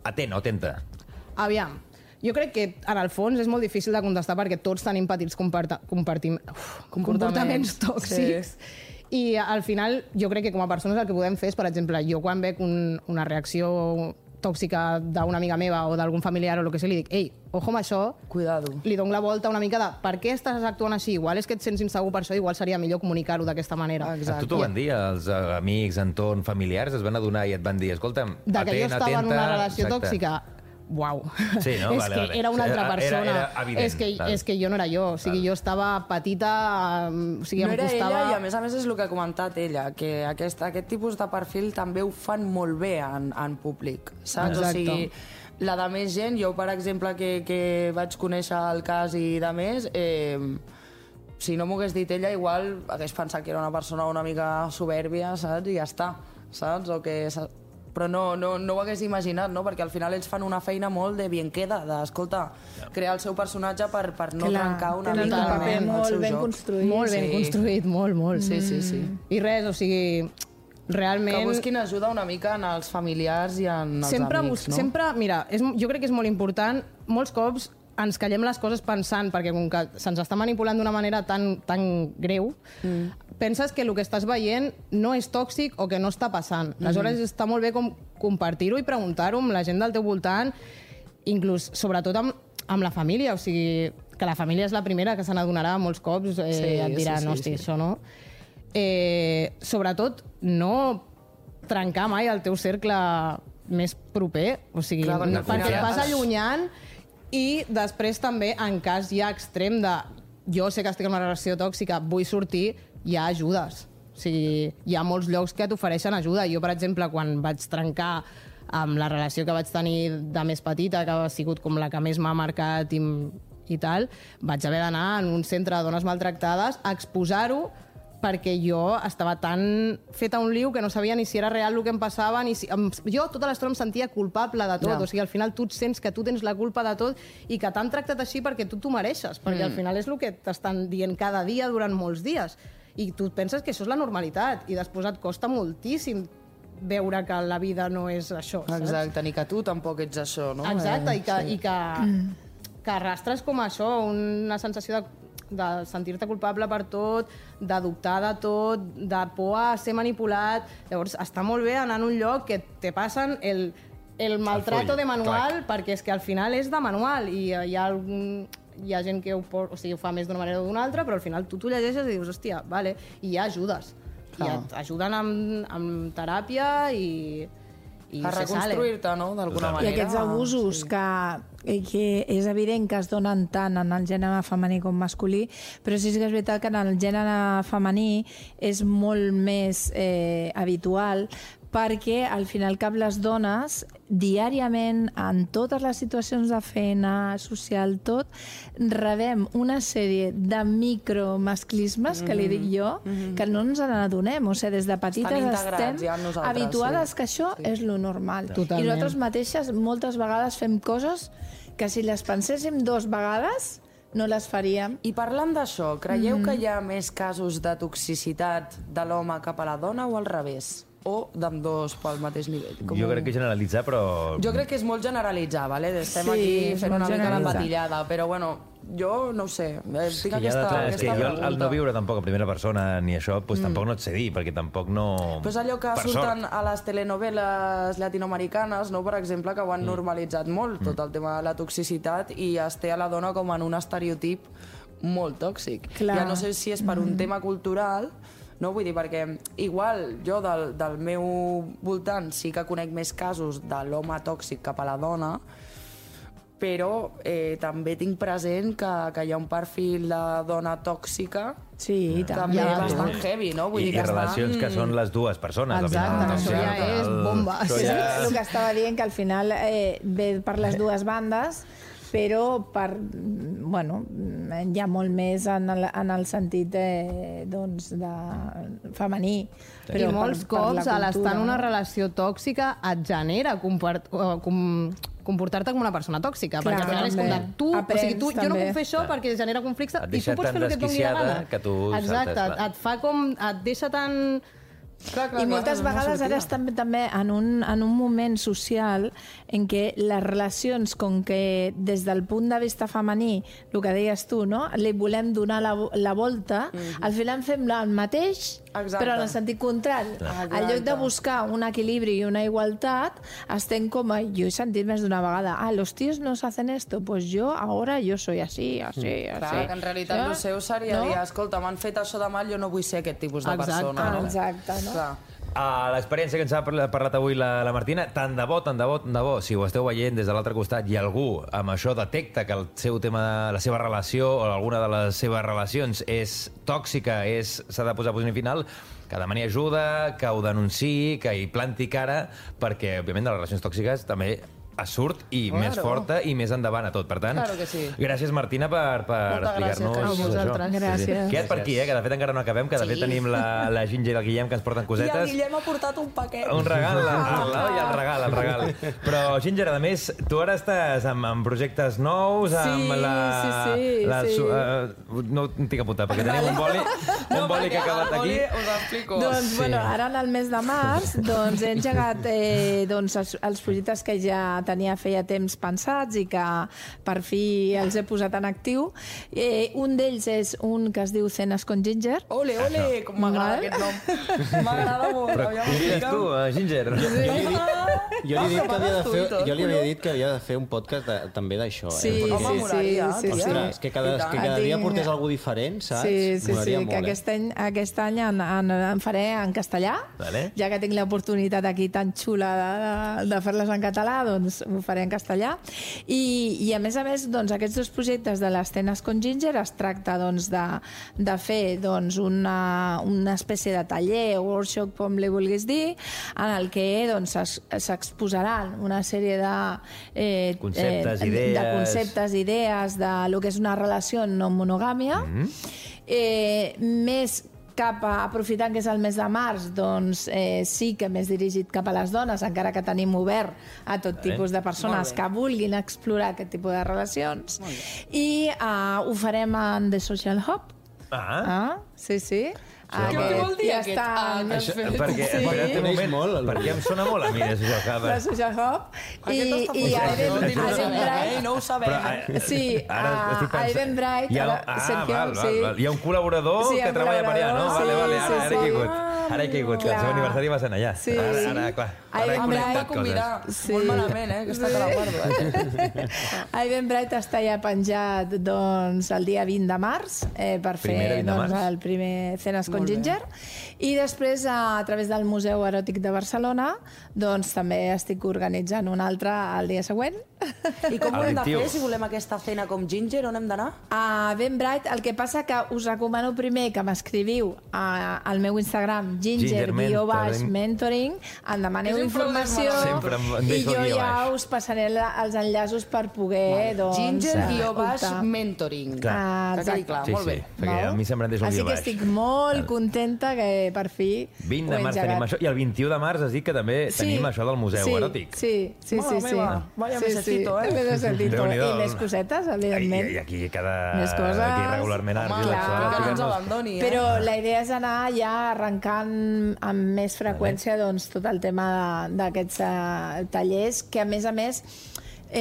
[SPEAKER 3] atent o atenta.
[SPEAKER 5] Aviam, jo crec que en el fons és molt difícil de contestar perquè tots tenim petits comportaments tòxics. Sí. I al final jo crec que com a persones el que podem fer és, per exemple, jo quan veig una reacció tòxica d'una amiga meva o d'algun familiar o el que sigui, li dic, ei, ojo amb això,
[SPEAKER 4] cuidado.
[SPEAKER 5] Li dono la volta una mica de per què estàs actuant així? Igual és que et sents insegur per això, igual seria millor comunicar-ho d'aquesta manera.
[SPEAKER 3] Exacte. A tu t'ho van dir, els amics, entorn, familiars, es van adonar i et van dir, escolta'm,
[SPEAKER 5] de que jo estava en una relació tòxica. Uau,
[SPEAKER 3] sí, no?
[SPEAKER 5] És que era una altra persona.
[SPEAKER 3] Era evident.
[SPEAKER 5] És que jo no era jo. O sigui, jo estava petita, o sigui,
[SPEAKER 4] no
[SPEAKER 5] em costava...
[SPEAKER 4] era ella, i a més és el que ha comentat ella, que aquest tipus de perfil també ho fan molt bé en públic, saps?
[SPEAKER 5] Exacte.
[SPEAKER 4] O sigui, la de més gent, jo, per exemple, que vaig conèixer el cas i de més, si no m'ho hagués dit ella, igual hagués pensat que era una persona una mica soberbia, saps? I ja està, saps? O que... Però no ho hagués imaginat, no? Perquè al final ells fan una feina molt de bien queda, d'escolta, crear el seu personatge per no trencar una mica
[SPEAKER 7] el paper molt ben construït.
[SPEAKER 5] Molt ben construït, molt.
[SPEAKER 4] Sí.
[SPEAKER 5] I res, o sigui, realment...
[SPEAKER 4] Que busquin ajuda una mica en els familiars i en els amics, no?
[SPEAKER 5] Sempre, mira, jo crec que és molt important, molts cops ens callem les coses pensant, perquè com que se'ns està manipulant d'una manera tan greu, penses que el que estàs veient no és tòxic o que no està passant. Aleshores està molt bé com compartir-ho i preguntar-ho amb la gent del teu voltant, inclús, sobretot amb la família, o sigui, que la família és la primera que se n'adonarà molts cops, et dirà, no, hosti, això no. Sobretot, no trencar mai el teu cercle més proper, o sigui, perquè et vas allunyant. I després també, en cas ja extrem de jo sé que estic en una relació tòxica, vull sortir, hi ha ajudes. O sigui, hi ha molts llocs que t'ofereixen ajuda. Jo, per exemple, quan vaig trencar amb la relació que vaig tenir de més petita, que ha sigut com la que més m'ha marcat i tal, vaig haver d'anar en un centre de dones maltractades a exposar-ho perquè jo estava tan feta un liu que no sabia ni si era real el que em passava, ni si... Jo tota l'estona em sentia culpable de tot, o sigui, al final tu et sents que tu tens la culpa de tot i que t'han tractat així perquè tu t'ho mereixes, perquè al final és el que t'estan dient cada dia durant molts dies. I tu penses que això és la normalitat i després et costa moltíssim veure que la vida no és això, saps?
[SPEAKER 4] Exacte, ni que tu tampoc ets això, no?
[SPEAKER 5] Exacte, i que arrastres com això, una sensació de sentir-te culpable per tot, de dubtar de tot, de por a ser manipulat. Llavors, està molt bé anar en un lloc que te passen el maltrato de manual, perquè és que al final és de manual i hi ha gent que ho fa més d'una manera o d'una altra, però al final tu t'ho llegeixes i dius, hòstia, vale, i hi ha ajudes. I t'ajuden amb teràpia i
[SPEAKER 4] a reconstruir-te, no?, d'alguna manera.
[SPEAKER 7] I aquests abusos que és evident que es donen tant en el gènere femení com masculí, però sí que és veritat que en el gènere femení és molt més habitual, perquè al final cap les dones diàriament en totes les situacions de feina, social, tot, rebem una sèrie de micromasclismes, que li dic jo, que no ens n'adonem. O sigui, des de petites estem habituades que això és lo normal.
[SPEAKER 5] Totalment.
[SPEAKER 7] I nosaltres mateixes moltes vegades fem coses que si les penséssim 2 vegades no les faríem.
[SPEAKER 4] I parlant d'això, creieu que hi ha més casos de toxicitat de l'home cap a la dona o al revés? O d'ambdós pel mateix nivell?
[SPEAKER 3] Jo crec que generalitzar, però...
[SPEAKER 4] Jo crec que és molt generalitzar, ¿vale? Estem aquí fent una mica la patillada, però bueno, jo no ho sé. Tinc aquesta
[SPEAKER 3] és que jo al no viure tampoc en primera persona ni això, doncs tampoc no et sé dir, perquè tampoc no...
[SPEAKER 4] Pues allò que surten a les telenovel·les llatinoamericanes, no, per exemple, que ho han normalitzat molt, tot el tema de la toxicitat, i es té a la dona com en un estereotip molt tòxic. Ja no sé si és per un tema cultural, no, vull dir, perquè igual jo del meu voltant sí que conec més casos de l'home tòxic cap a la dona, però també tinc present que hi ha un perfil de dona tòxica
[SPEAKER 7] Sí,
[SPEAKER 4] també bastant heavy, no? Vull dir
[SPEAKER 3] I
[SPEAKER 4] que
[SPEAKER 3] relacions que són les dues persones.
[SPEAKER 5] Exacte, això ja és bomba.
[SPEAKER 7] Sí, el que estava dient, que al final ve per les dues bandes, però bueno, hi ha molt més en el sentit doncs, de femení.
[SPEAKER 5] I molts cops, a l'estar en una relació tòxica, et genera comportar-te com una persona tòxica, perquè al final és com de tu, o sigui, jo no puc fer això perquè genera conflicte i tu pots fer el que et doni la gana. Exacte, et fa com, et deixa tan...
[SPEAKER 7] I moltes vegades ara estem també en un moment social en què les relacions, com que des del punt de vista femení, el que deies tu, no? Li volem donar la volta, al final fem el mateix, però en el sentit contrari. En lloc de buscar un equilibri i una igualtat, estem com... Jo he sentit més d'una vegada, los tíos nos hacen esto, pues yo ahora yo soy así, así, así.
[SPEAKER 4] Clar, que en realitat el seu seria dir, escolta, m'han fet això de mal, jo no vull ser aquest tipus de persona.
[SPEAKER 7] Exacte, no?
[SPEAKER 3] L'experiència que ens ha parlat avui la Martina, tant de bo, si ho esteu veient des de l'altre costat i algú amb això detecta que el seu tema, la seva relació o alguna de les seves relacions és tòxica, s'ha de posar posició final, que demani ajuda, que ho denunciï, que hi planti cara, perquè, òbviament, de les relacions tòxiques també surt i més forta i més endavant a tot. Per tant, gràcies, Martina, per explicar-nos això.
[SPEAKER 7] Gràcies.
[SPEAKER 3] Queda't per aquí, que de fet encara no acabem, que de fet tenim la Ginger i el Guillem que ens porten cosetes.
[SPEAKER 4] I el Guillem ha portat un paquet.
[SPEAKER 3] Un regal, el regal. Però, Ginger, a més, tu ara estàs amb projectes nous, amb no tinc apuntat, perquè tenim un boli que ha acabat aquí.
[SPEAKER 4] Us explico.
[SPEAKER 7] Doncs, bueno, ara en el mes de març he engegat els projectes que ja feia temps pensats i que per fi els he posat en actiu. Un d'ells és un que es diu Cenas con Ginger.
[SPEAKER 4] Ole, com m'agrada aquest nom. M'agrada molt.
[SPEAKER 3] Però convides tu, Ginger?
[SPEAKER 6] Jo li havia dit que havia de fer un podcast també d'això.
[SPEAKER 7] Sí.
[SPEAKER 6] Ostres, que cada dia portés algú diferent, saps?
[SPEAKER 7] Sí, que aquest any en faré en castellà, ja que tinc l'oportunitat aquí tan xula de fer-les en català, doncs ho faré en castellà. I a més, aquests dos projectes de les Cenas con Ginger es tracta de fer una espècie de taller o workshop, com li vulguis dir, en el que s'exposaran una sèrie de conceptes, idees de lo que és una relació no monogàmia, més aprofitant que és el mes de març, doncs sí que més dirigit cap a les dones, encara que tenim obert a tot tipus de persones que vulguin explorar aquest tipus de relacions. I ho farem en The Social Hub. Sí.
[SPEAKER 4] Què vol dir aquest?
[SPEAKER 3] Perquè em sona molt a mi,
[SPEAKER 7] la Social Hub.
[SPEAKER 4] I no ho sabem.
[SPEAKER 7] Sí, a Eventbrite.
[SPEAKER 3] Hi ha un col·laborador que treballa per allà, no? Ara he caigut, que el seu aniversari va ser allà. Ara, clar, ara he connectat coses.
[SPEAKER 4] Molt malament, aquesta que la guardo.
[SPEAKER 7] A Eventbrite està ja penjat el dia 20 de març per fer el primer Cenas con Ginger, i després a través del Museu Eròtic de Barcelona doncs també estic organitzant un altre el dia següent.
[SPEAKER 4] I com ho hem de fer si volem aquesta cena com Ginger? On hem d'anar?
[SPEAKER 7] A Eventbrite. El que passa que us recomano primer que m'escriviu al meu Instagram ginger_mentoring, em demaneu informació i jo ja us passaré els enllaços per poder
[SPEAKER 4] ginger_mentoring.
[SPEAKER 3] Clar, molt bé. Perquè a mi sempre em deixa un
[SPEAKER 7] Així que estic molt contenta que per fi
[SPEAKER 3] 20 de març tenim això, i el 21 de març has dit que també tenim això del Museu Eròtic.
[SPEAKER 7] Sí.
[SPEAKER 4] Vaya mesecito,
[SPEAKER 7] I més cosetes, evidentment.
[SPEAKER 3] I aquí regularment
[SPEAKER 4] que no ens abandoni.
[SPEAKER 7] Però la idea és anar ja arrencant amb més freqüència tot el tema d'aquests tallers, que a més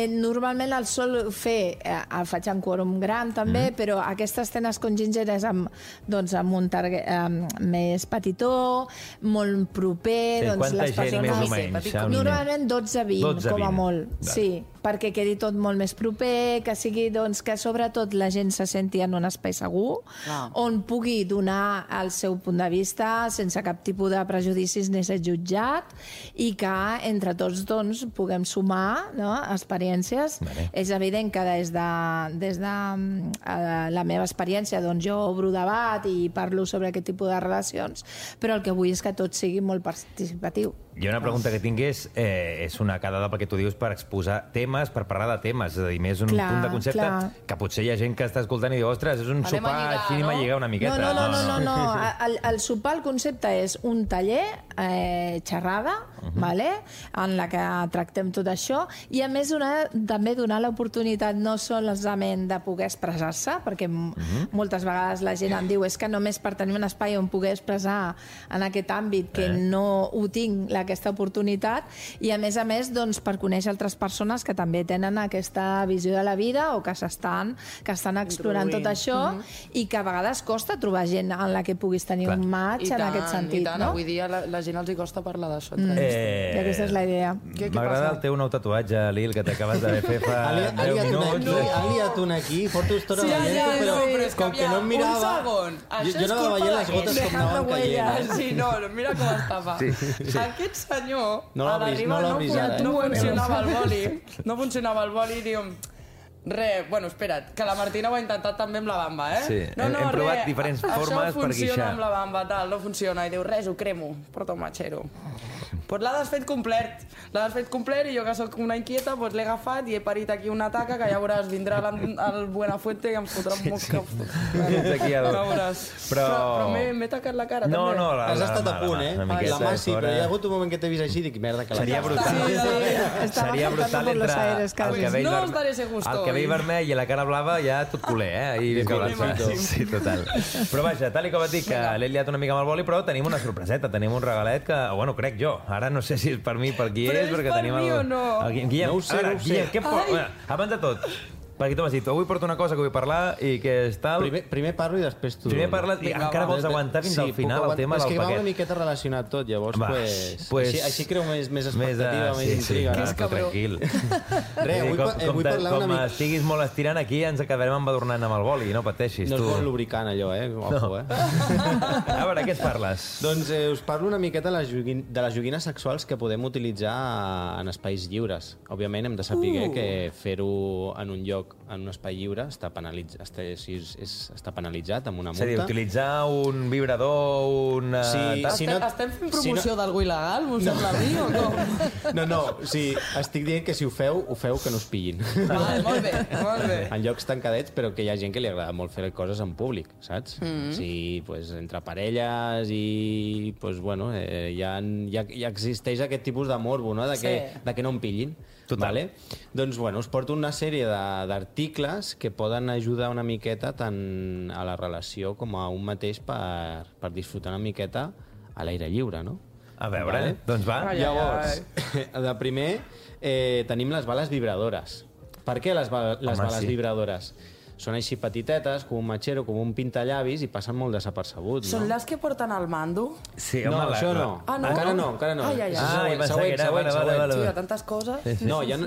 [SPEAKER 7] normalment el sol fer, el faig en quòrum gran també, però aquestes Cenas con Ginger és amb un target més petitó, molt proper.
[SPEAKER 3] Quanta gent més o menys?
[SPEAKER 7] Normalment 12-20, com a molt. Sí, perquè quedi tot molt més proper, que sigui, doncs, que sobretot la gent se senti en un espai segur, on pugui donar el seu punt de vista sense cap tipus de prejudicis ni ser jutjat, i que entre tots doncs, puguem sumar, no?, experiències. És evident que des de la meva experiència doncs, jo obro debat i parlo sobre aquest tipus de relacions, però el que vull és que tot sigui molt participatiu.
[SPEAKER 3] Jo una pregunta que tinc és una quedada, perquè tu dius, per exposar temes, per parlar de temes, és a dir, més un punt de concepte que potser hi ha gent que està escoltant i diu, ostres, és un sopar així, anem a lligar una miqueta.
[SPEAKER 7] No. El sopar, el concepte és un taller, xerrada, en la que tractem tot això, i a més també donar l'oportunitat no solament de poder expressar-se, perquè moltes vegades la gent em diu és que només per tenir un espai on poder expressar en aquest àmbit que no ho tinc aquesta oportunitat, i a més doncs, per conèixer altres persones que també tenen aquesta visió de la vida o que estan explorant tot això, i que a vegades costa trobar gent en la que puguis tenir un match en aquest sentit.
[SPEAKER 4] I tant, avui dia la gent els hi costa parlar d'això.
[SPEAKER 7] I aquesta és la idea.
[SPEAKER 3] M'agrada el teu nou tatuatge, Lil, que t'acabes d'haver fet fa 10 minuts.
[SPEAKER 6] Ha liat un aquí, porto estona veient-ho, però com que no em mirava... Jo anava veient les gotes com anaven caient.
[SPEAKER 4] Sí, no, mira com estava. Aquest senyor,
[SPEAKER 6] no l'obris ara,
[SPEAKER 4] no funcionava el boli. No funcionava el boli i diu... Bueno, espera't, que la Martina ho ha intentat també amb la bamba,
[SPEAKER 3] Sí, hem provat diferents formes per guixar.
[SPEAKER 4] Això funciona amb la bamba, tal, no funciona. I diu, res, ho cremo, porta un matxero. Pues l'ha desfet complet, i jo que sóc una inquieta pues l'he agafat i he parit aquí una taca que ja veuràs, vindrà el Buenafuente i em fotrà un mosca. Ja veuràs. Però m'he tacat la cara també.
[SPEAKER 3] No,
[SPEAKER 6] has estat a punt, La mà sí, però hi ha hagut un moment que t'he vist així i dic, merda, que la
[SPEAKER 3] seria brutal. Seria brutal entre el cabell vermell i la cara blava, ja tot culer, Sí, total. Però vaja, tal com et dic, que l'he liat una mica amb el boli, però tenim una sorpreseta, tenim un regalet que, bueno, crec jo. Ara no sé si és per mi, per qui és, perquè tenim el...
[SPEAKER 4] Però és per mi o no?
[SPEAKER 3] Guillem, no ho sé. Guillem, què porta? Abans de tot, perquè tu m'has dit, avui porto una cosa que vull parlar i que és tal...
[SPEAKER 6] Primer parlo i després tu...
[SPEAKER 3] Primer parles i encara vols aguantar fins al final el tema del paquet.
[SPEAKER 6] És que va una miqueta relacionat tot, llavors, així creu més expectativa, més intriga.
[SPEAKER 3] Que és tranquil.
[SPEAKER 6] Vull parlar una mica...
[SPEAKER 3] Com estiguis molt estirant aquí, ens acabarem embadurnant amb el boli, no pateixis.
[SPEAKER 6] No és bon lubricant, allò, Ojo,
[SPEAKER 3] A veure, què et parles?
[SPEAKER 6] Doncs us parlo una miqueta de les joguines sexuals que podem utilitzar en espais lliures. Òbviament hem de saber que fer-ho en un lloc, en un espai lliure, està penalitzat amb una multa.
[SPEAKER 3] És a dir, utilitzar un vibrador, una...
[SPEAKER 4] Estem fent promoció d'algú il·legal, m'ho sembla a mi, o com?
[SPEAKER 6] No, estic dient que si ho feu que no us pillin.
[SPEAKER 4] Molt bé.
[SPEAKER 6] En llocs tancadets, però que hi ha gent que li agrada molt fer coses en públic, saps? Sí, entre parelles i... ja existeix aquest tipus de morbo, no? De que no em pillin.
[SPEAKER 3] Total.
[SPEAKER 6] Doncs, us porto una sèrie d'articles que poden ajudar una miqueta tant a la relació com a un mateix per disfrutar una miqueta a l'aire lliure, no?
[SPEAKER 3] A veure, doncs va.
[SPEAKER 6] Llavors, de primer tenim les bales vibradores. Per què les bales vibradores? Són així petitetes, com un matxero, com un pintallavis, i passen molt desapercebuts, no?
[SPEAKER 4] Són les que porten al mando?
[SPEAKER 3] Sí,
[SPEAKER 6] no, això no.
[SPEAKER 4] Encara
[SPEAKER 6] no.
[SPEAKER 3] Següent.
[SPEAKER 4] Hi ha tantes coses.
[SPEAKER 6] No, hi ha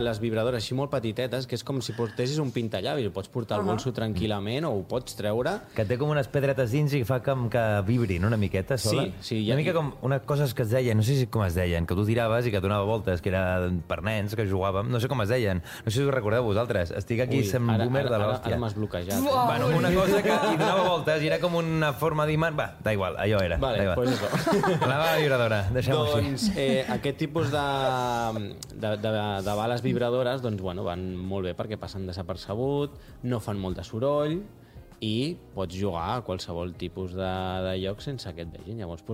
[SPEAKER 6] les vibradores així molt petitetes, que és com si portessis un pintallavis. Ho pots portar al bolso tranquil·lament o ho pots treure.
[SPEAKER 3] Que té com unes pedretes dins i fa com que vibrin una miqueta sola.
[SPEAKER 6] Sí.
[SPEAKER 3] Una mica com unes coses que es deien, no sé com es deien, que tu tiraves i que donava voltes, que era per nens, que jugàvem, no sé com es deien. No sé si us recordeu vosaltres. Estic aquí sent boomer de
[SPEAKER 6] Ara m'has bloquejat.
[SPEAKER 3] Bueno, una cosa que hi donava voltes i era com una forma d'imant. Va, da igual, allò era.
[SPEAKER 6] Vale, pues eso.
[SPEAKER 3] La bala vibradora, deixem-ho així.
[SPEAKER 6] Doncs aquest tipus de bales vibradores van molt bé perquè passen desapercebut, no fan molt de soroll i pots jugar a qualsevol tipus de lloc sense que et vegin. Llavors,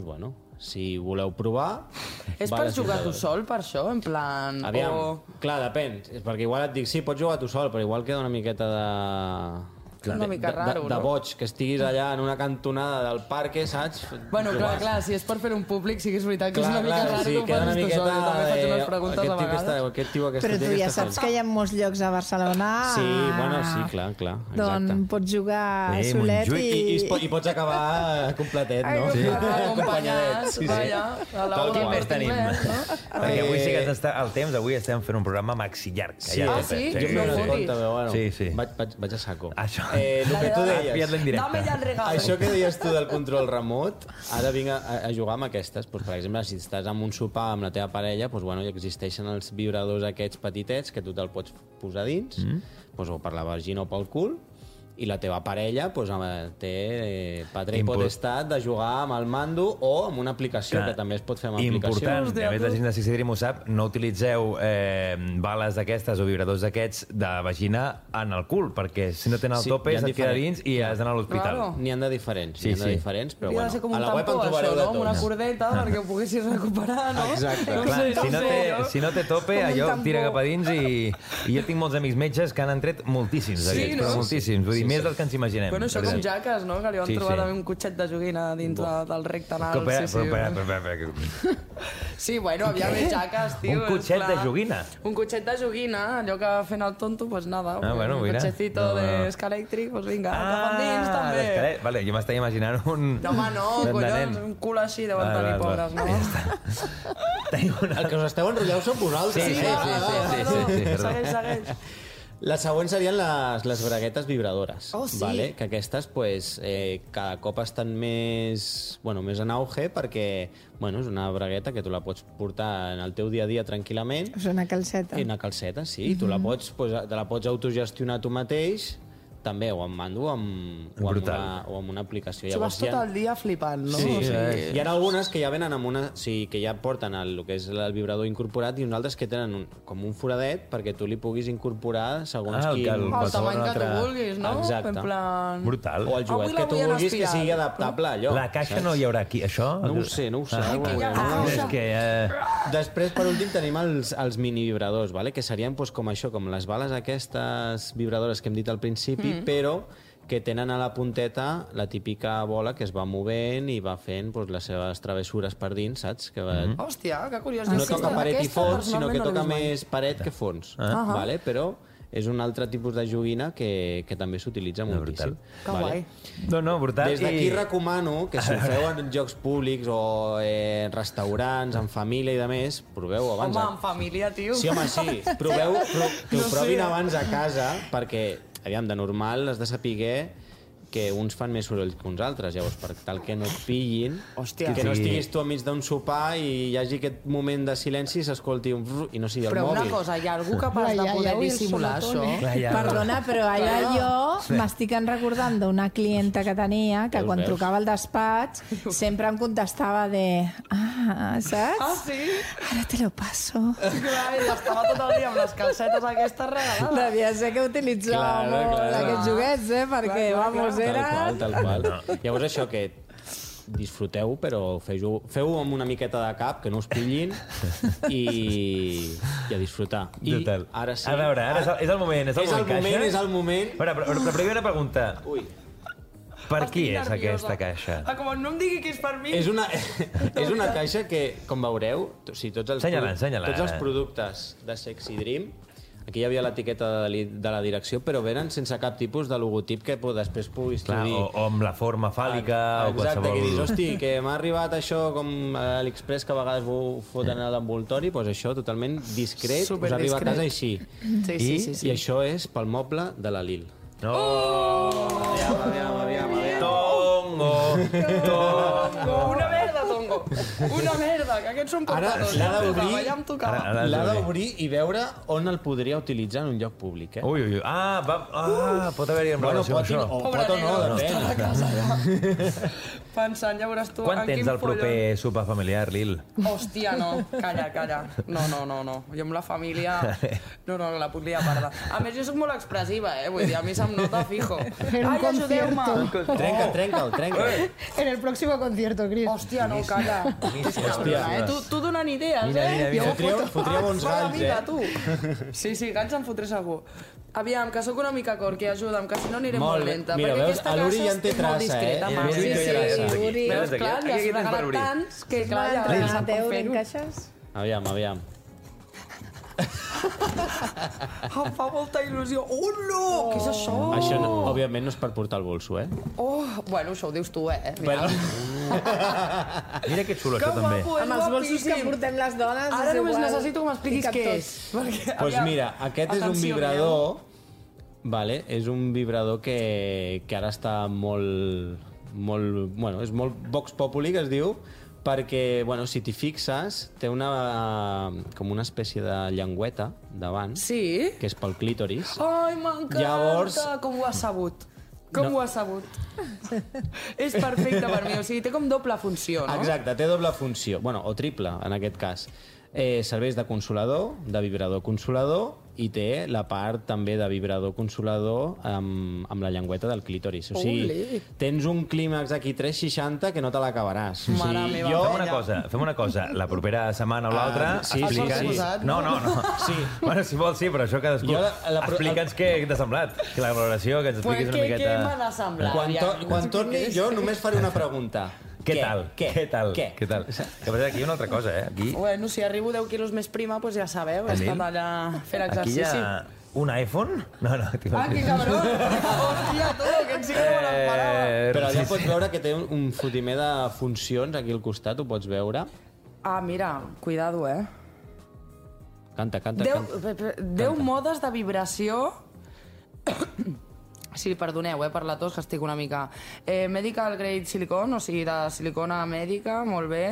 [SPEAKER 6] si voleu provar...
[SPEAKER 4] És per jugar tu sol, per això? En plan...
[SPEAKER 6] Aviam, clar, depèn. És perquè igual et dic, sí, pots jugar tu sol, però igual queda una miqueta
[SPEAKER 4] una mica raro,
[SPEAKER 6] de
[SPEAKER 4] no?
[SPEAKER 6] boig, que estiguis allà en una cantonada del parque, saps?
[SPEAKER 4] Bueno, clar, si és per fer un públic, sí que és veritat que és una mica raro
[SPEAKER 6] sí,
[SPEAKER 4] que ho
[SPEAKER 6] queda una
[SPEAKER 4] facis tu
[SPEAKER 6] miqueta
[SPEAKER 4] sol. Jo també faig unes preguntes a vegades.
[SPEAKER 6] Aquest tio, aquesta
[SPEAKER 7] Però tu ja saps que hi ha molts llocs a Barcelona.
[SPEAKER 6] Sí, bueno, sí, clar, exacte.
[SPEAKER 7] Doncs pots jugar solet
[SPEAKER 6] I pots acabar completet, no?
[SPEAKER 4] Sí. Acompanyats, vaja, a l'aula
[SPEAKER 3] Quin més tenim?
[SPEAKER 4] anglès, no?
[SPEAKER 3] Perquè avui sí que està el temps, avui estem fent un programa maxi llarg.
[SPEAKER 6] Sí,
[SPEAKER 4] Ah, sí?
[SPEAKER 6] Jo
[SPEAKER 4] No
[SPEAKER 6] m'he donat
[SPEAKER 4] fotis.
[SPEAKER 6] compte, però bueno,
[SPEAKER 3] Sí.
[SPEAKER 6] vaig a saco.
[SPEAKER 3] Això.
[SPEAKER 6] El que tu
[SPEAKER 3] Has pillat
[SPEAKER 6] deies,
[SPEAKER 3] l'indirecte.
[SPEAKER 4] Dame ja el regalo.
[SPEAKER 6] això que deies tu del control remot, ara vinc a jugar amb aquestes. Pues, per exemple, si estàs en un sopar amb la teva parella, pues, bueno, existeixen els vibradors aquests petitets que tu te'l pots posar dins, pues, o per la vagina o pel cul, i la teva parella pues, té patre i potestat de jugar amb el mando o amb una aplicació, que també es pot fer amb aplicació.
[SPEAKER 3] Important, a més la gent de Sexy Dream ho sap, no utilitzeu bales d'aquestes o vibradors d'aquests de vagina en el cul, perquè si no tenen el tope se't queda dins i has d'anar a l'hospital.
[SPEAKER 4] Claro.
[SPEAKER 6] N'hi han de diferents,
[SPEAKER 3] Sí, sí.
[SPEAKER 6] però
[SPEAKER 4] Hauria de ser com un tampó, això, no? Amb una cordeta perquè ho poguessis recuperar, no?
[SPEAKER 6] Exacte.
[SPEAKER 4] No
[SPEAKER 3] Clar,
[SPEAKER 4] sé,
[SPEAKER 3] si no té tope, allò tira cap a dins i jo tinc molts amics metges que han tret moltíssims d'aquests, però moltíssims. Vull dir, més dels que ens imaginem.
[SPEAKER 4] Bueno, això com jaques, no? Que li van
[SPEAKER 3] Sí,
[SPEAKER 4] trobar
[SPEAKER 3] sí.
[SPEAKER 4] també un cotxet de joguina dins del recte anal. Sí, bueno, havia més jaques, tio.
[SPEAKER 3] Un cotxet de joguina?
[SPEAKER 4] Un cotxet de joguina, allò que fent el tonto, pues nada.
[SPEAKER 3] Bueno,
[SPEAKER 4] un
[SPEAKER 3] mira.
[SPEAKER 4] cotxecito d'escalèctric, pues vinga, cap endins també.
[SPEAKER 3] Vale, jo m'estava imaginant un...
[SPEAKER 4] No, home, no, collons, un cul així deuen tenir pobres, no?
[SPEAKER 6] El que us esteu enrotllant sou vosaltres.
[SPEAKER 3] Sí.
[SPEAKER 4] Segueix.
[SPEAKER 6] La següent serien les braguetes vibradores,
[SPEAKER 4] Oh, sí.
[SPEAKER 6] vale? Que aquestes pues, cada cop estan més en auge perquè és una bragueta que tu la pots portar en el teu dia a dia tranquil·lament.
[SPEAKER 7] És una calceta.
[SPEAKER 6] I una calceta, sí. Tu la pots autogestionar tu mateix, també, o amb mando o amb una aplicació.
[SPEAKER 4] Tu vas tot el dia flipant, no?
[SPEAKER 6] Sí,
[SPEAKER 4] O sigui,
[SPEAKER 6] hi ha algunes que ja venen amb una... Sí, que ja porten el que és el vibrador incorporat i uns altres que tenen com un foradet perquè tu li puguis incorporar segons quin...
[SPEAKER 4] el tamany que tu vulguis, no?
[SPEAKER 6] Exacte.
[SPEAKER 4] En plan...
[SPEAKER 3] Brutal.
[SPEAKER 6] O el
[SPEAKER 4] Avui
[SPEAKER 6] joguet
[SPEAKER 4] la
[SPEAKER 6] que tu
[SPEAKER 4] vull en
[SPEAKER 6] vulguis que
[SPEAKER 4] espiral.
[SPEAKER 6] sigui adaptable a allò.
[SPEAKER 3] La caixa no hi haurà aquí, això?
[SPEAKER 6] No ho sé.
[SPEAKER 3] És que...
[SPEAKER 6] Després, per últim, tenim els mini vibradors, vale? Que serien com això, com les bales aquestes vibradores que hem dit al principi, però que tenen a la punteta la típica bola que es va movent i va fent les seves travessures per dins, saps? Que va...
[SPEAKER 4] Hòstia, que curiós.
[SPEAKER 6] No toca paret i
[SPEAKER 4] Aquesta,
[SPEAKER 6] fons, sinó que
[SPEAKER 4] personalment, no
[SPEAKER 6] toca
[SPEAKER 4] l'he vist mai.
[SPEAKER 6] més paret que fons, vale? Però és un altre tipus de joguina que també s'utilitza moltíssim.
[SPEAKER 4] Que guai.
[SPEAKER 3] No, brutal.
[SPEAKER 6] Des d'aquí recomano que si ho feu en llocs públics o restaurants, en família i de més, proveu abans.
[SPEAKER 4] Home, en família, tio.
[SPEAKER 6] Sí, home, sí. Proveu, que ho provin abans a casa, perquè, aviam, de normal has de saber que uns fan més soroll que uns altres, llavors, per tal que no et pillin,
[SPEAKER 4] Hòstia.
[SPEAKER 6] que no estiguis tu enmig d'un sopar i hi hagi aquest moment de silenci i s'escolti un frr i no sigui el
[SPEAKER 4] Però
[SPEAKER 6] mòbil.
[SPEAKER 4] una cosa, hi ha algú capaç de poder dissimular això?
[SPEAKER 7] Perdona, però ara jo m'estic recordant d'una clienta que tenia que quan trucava al despatx sempre em contestava saps?
[SPEAKER 4] Ah, sí?
[SPEAKER 7] Ara te lo paso.
[SPEAKER 4] Clar, i estava tot el dia amb les calcetes aquestes regalades.
[SPEAKER 7] Devia ser que utilitzava molt aquests joguets, perquè, vamos, era...
[SPEAKER 6] Tal qual. Llavors això que disfruteu, però feu amb una miqueta de cap, que no us pillin i a disfrutar. I ara sí...
[SPEAKER 3] A veure, ara és el moment. És
[SPEAKER 6] el moment.
[SPEAKER 3] Però la primera pregunta.
[SPEAKER 6] Ui.
[SPEAKER 3] Per qui és aquesta caixa?
[SPEAKER 4] Com no em digui que és per mi.
[SPEAKER 6] És una caixa que, com veureu, tots els productes de Sexy Dream, aquí hi havia l'etiqueta de la direcció, però venen sense cap tipus de logotip que després puguis dir...
[SPEAKER 3] O amb la forma fàl·lica o qualsevol...
[SPEAKER 6] Exacte, que dius, hosti, que m'ha arribat això com a l'Express, que a vegades ho foten a l'envoltori, doncs això totalment discret, us arriba a casa així.
[SPEAKER 4] Sí.
[SPEAKER 6] I això és pel moble de la Lil.
[SPEAKER 3] Aviam. Tongo.
[SPEAKER 4] Una merda, Tongo. Una merda, que aquests són portadors.
[SPEAKER 6] Ara l'ha d'obrir i veure on el podria utilitzar en un lloc públic,
[SPEAKER 3] Ui. Pot haver-hi en relació amb això.
[SPEAKER 6] Pot o no, depèn.
[SPEAKER 4] Pensant, ja veuràs tu...
[SPEAKER 3] Quan tens el proper sopar familiar, Lil?
[SPEAKER 4] Hòstia, no. Calla. No. Jo amb la família... No, la puc liar parda. A més, jo soc molt expressiva, Vull dir, a mi se'm nota fijo.
[SPEAKER 5] En un
[SPEAKER 4] ajudeu-me.
[SPEAKER 6] Trenca'l.
[SPEAKER 5] En el próximo concierto, Cris.
[SPEAKER 4] Hòstia, no, calla. Hòstia. Tu donant idees,
[SPEAKER 3] Mira.
[SPEAKER 6] Fotria bons galls,
[SPEAKER 4] tu. Sí, galls en fotré segur. Aviam, que sóc una mica corqui, ajuda'm, que si no aniré molt lenta.
[SPEAKER 6] Mira,
[SPEAKER 4] perquè
[SPEAKER 6] veus,
[SPEAKER 4] aquesta
[SPEAKER 6] l'Uri
[SPEAKER 4] caixa
[SPEAKER 6] ja en té
[SPEAKER 4] és molt
[SPEAKER 6] traça,
[SPEAKER 4] discreta,
[SPEAKER 6] eh?
[SPEAKER 4] Marc.
[SPEAKER 3] L'Uri té traça.
[SPEAKER 7] Uri.
[SPEAKER 4] Veus, clar,
[SPEAKER 3] Aquí
[SPEAKER 4] ja
[SPEAKER 3] tens
[SPEAKER 4] s'ha
[SPEAKER 3] per
[SPEAKER 4] regalat
[SPEAKER 3] obrir.
[SPEAKER 4] tants que, clar, ja
[SPEAKER 7] Marta,
[SPEAKER 4] no sap
[SPEAKER 7] Mateu,
[SPEAKER 4] com fer-ho.
[SPEAKER 7] encaixes?
[SPEAKER 6] Aviam.
[SPEAKER 4] Em fa molta il·lusió. Oh, no! Què és això?
[SPEAKER 6] Això, òbviament, no és per portar el bolso, eh?
[SPEAKER 4] Oh, bueno, això ho dius tu, Mira.
[SPEAKER 3] Mira que xulo, això també.
[SPEAKER 7] Amb els bolsos que portem les dones
[SPEAKER 4] Ara
[SPEAKER 7] és
[SPEAKER 4] només
[SPEAKER 7] igual.
[SPEAKER 4] necessito que m'expliquis
[SPEAKER 7] Hi cap
[SPEAKER 4] què
[SPEAKER 7] tot.
[SPEAKER 4] és. Perquè,
[SPEAKER 6] Doncs
[SPEAKER 4] aviam,
[SPEAKER 6] mira, aquest és un
[SPEAKER 4] atenció,
[SPEAKER 6] vibrador, vale? És un vibrador que ara està molt... Bueno, és molt Vox Populi, que es diu, perquè, bueno, si t'hi fixes, té com una espècie de llengüeta davant,
[SPEAKER 4] Sí?
[SPEAKER 6] que és pel clítoris.
[SPEAKER 4] Ai, m'encanta!
[SPEAKER 6] Llavors-
[SPEAKER 4] Com ho has sabut? Com ho has sabut? És perfecte per mi, o sigui, té com doble funció, no?
[SPEAKER 6] Exacte, té doble funció, bueno, o triple, en aquest cas. Serveix de consolador, de vibrador consolador, i té la part també de vibrador consolador amb la llengüeta del clítoris. O sigui,
[SPEAKER 4] Ole.
[SPEAKER 6] tens un clímax aquí 360 que no te l'acabaràs. O
[SPEAKER 4] Mare
[SPEAKER 6] sigui,
[SPEAKER 4] meva,
[SPEAKER 3] Fem una cosa. La propera setmana o l'altra...
[SPEAKER 6] sí,
[SPEAKER 3] explica'ns- No.
[SPEAKER 6] Sí.
[SPEAKER 3] Bueno, si vols, sí, però això cadascú... Explica'ns què t'ha semblat. Que la valoració, que ens
[SPEAKER 4] Pues
[SPEAKER 3] expliquis una
[SPEAKER 4] què
[SPEAKER 3] miqueta...
[SPEAKER 4] me n'ha semblat?
[SPEAKER 6] Quan torni jo només faré una pregunta.
[SPEAKER 3] Què tal?
[SPEAKER 6] Què tal?
[SPEAKER 3] Que passa aquí hi ha una altra cosa, Aquí
[SPEAKER 4] Bueno, si arribo 10 quilos més prima, doncs ja sabeu, he estat allà fent
[SPEAKER 3] aquí hi
[SPEAKER 4] exercici.
[SPEAKER 3] ha un iPhone? No.
[SPEAKER 4] Ah, que cabró! Hòstia, tu, que en sí que no me l'esperava.
[SPEAKER 6] Però allà pots veure que té un fotimer de funcions aquí al costat, ho pots veure.
[SPEAKER 4] Ah, mira, cuidado,
[SPEAKER 6] Canta.
[SPEAKER 4] 10 modes de vibració... Sí, perdoneu, per la tos, que estic una mica... Medical grade silicone, o sigui, de silicona mèdica, molt bé.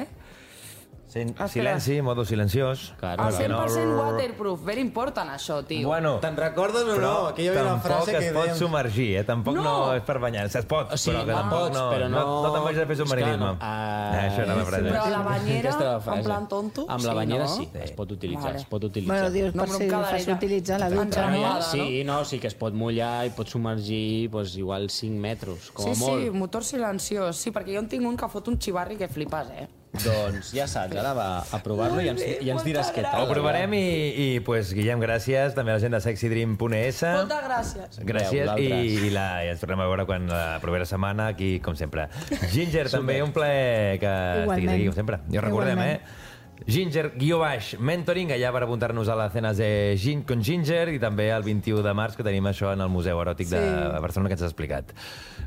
[SPEAKER 3] Silenci, modo silenciós.
[SPEAKER 6] Claro,
[SPEAKER 4] El
[SPEAKER 6] claro.
[SPEAKER 4] 100% waterproof, ben important això, tio.
[SPEAKER 3] Bueno,
[SPEAKER 6] Te'n recordes o no? Aquí hi havia una frase que
[SPEAKER 3] tampoc es pot
[SPEAKER 6] dèiem...
[SPEAKER 3] submergir, Tampoc no és per banyar-se. Es pot,
[SPEAKER 6] Sí,
[SPEAKER 3] però que tampoc
[SPEAKER 6] pots,
[SPEAKER 3] no...
[SPEAKER 6] però no...
[SPEAKER 3] No te'n vagis a fer submarinisme. Això era la frase.
[SPEAKER 4] Però a la banyera,
[SPEAKER 6] Aquesta era la frase.
[SPEAKER 4] en plan tonto,
[SPEAKER 6] Amb la
[SPEAKER 4] sí,
[SPEAKER 6] banyera
[SPEAKER 4] no?
[SPEAKER 6] sí, es pot utilitzar,
[SPEAKER 4] Vale.
[SPEAKER 6] es pot utilitzar.
[SPEAKER 7] Bueno, dius,
[SPEAKER 4] No,
[SPEAKER 7] per
[SPEAKER 4] però
[SPEAKER 7] si
[SPEAKER 4] em quedaré
[SPEAKER 7] fas
[SPEAKER 4] ja
[SPEAKER 7] utilitzar la dutxa,
[SPEAKER 4] entrant.
[SPEAKER 7] no?
[SPEAKER 6] Sí, no, sí que es pot mullar i pot submergir doncs, igual 5 metres, com a
[SPEAKER 4] Sí,
[SPEAKER 6] molt.
[SPEAKER 4] motor silenciós. Sí, perquè jo en tinc un que fot un xivarri que flipes,
[SPEAKER 6] Doncs ja saps, ara va a provar-lo i ens diràs què tal.
[SPEAKER 3] Ho provarem i pues, Guillem, gràcies. També a la gent de sexydream.es.
[SPEAKER 4] Moltes gràcies.
[SPEAKER 3] Gràcies
[SPEAKER 6] Vosaltres.
[SPEAKER 3] i ens tornem a veure quan la propera setmana aquí, com sempre. Ginger, també un plaer que estiguis aquí, com sempre. I ho recordem, Ginger_mentoring, allà per apuntar-nos a les cenes de con Ginger i també el 21 de març que tenim això en el Museu Eròtic de Barcelona que ens has explicat.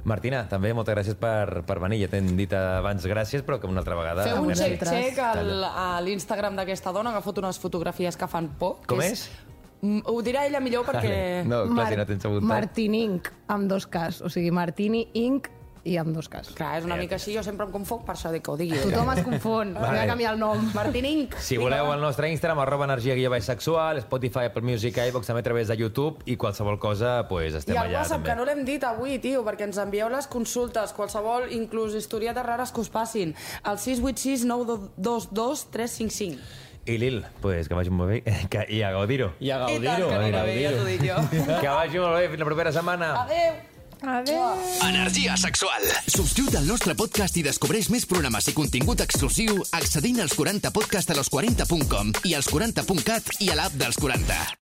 [SPEAKER 3] Martina, també moltes gràcies per venir. Ja t'hem dit abans gràcies, però que una altra vegada...
[SPEAKER 4] Feu un
[SPEAKER 3] merci.
[SPEAKER 4] check a l'Instagram d'aquesta dona que fot unes fotografies que fan por.
[SPEAKER 3] Com
[SPEAKER 4] que
[SPEAKER 3] és?
[SPEAKER 4] Ho dirà ella millor perquè...
[SPEAKER 3] No, clar, si no tens apuntat.
[SPEAKER 5] Martini Inc, amb 2 Ks. O sigui, Martini Inc i amb 2 Ks.
[SPEAKER 4] Clar, és una mica així, jo sempre em confoc, per això dic que ho digui.
[SPEAKER 5] Tothom es confon.
[SPEAKER 3] Vale.
[SPEAKER 5] Voy a canviar el nom.
[SPEAKER 4] Martín Inc.
[SPEAKER 3] Si voleu el nostre Instagram, @energia_sexual, Spotify, Apple Music, iVoox, també a través de YouTube i qualsevol cosa, pues, estem
[SPEAKER 4] I el
[SPEAKER 3] allà
[SPEAKER 4] WhatsApp,
[SPEAKER 3] també.
[SPEAKER 4] que no l'hem dit avui, tio, perquè ens envieu les consultes, qualsevol, inclús historietes rares que us passin, al 686 922 355.
[SPEAKER 3] I Lil, pues, que vagi molt bé i a gaudir-ho.
[SPEAKER 6] I a
[SPEAKER 4] I tant,
[SPEAKER 6] gaudir-ho.
[SPEAKER 4] que anirà bé, ja t'ho dic jo.
[SPEAKER 3] Que vagi molt bé, fins la propera setmana.
[SPEAKER 4] Adéu!
[SPEAKER 7] Adéu.
[SPEAKER 1] Energia sexual. Subscriu't al nostre podcast i descobreix més programes i contingut exclusiu accedint als 40podcast a los40.com i als 40.cat i a l'app dels 40.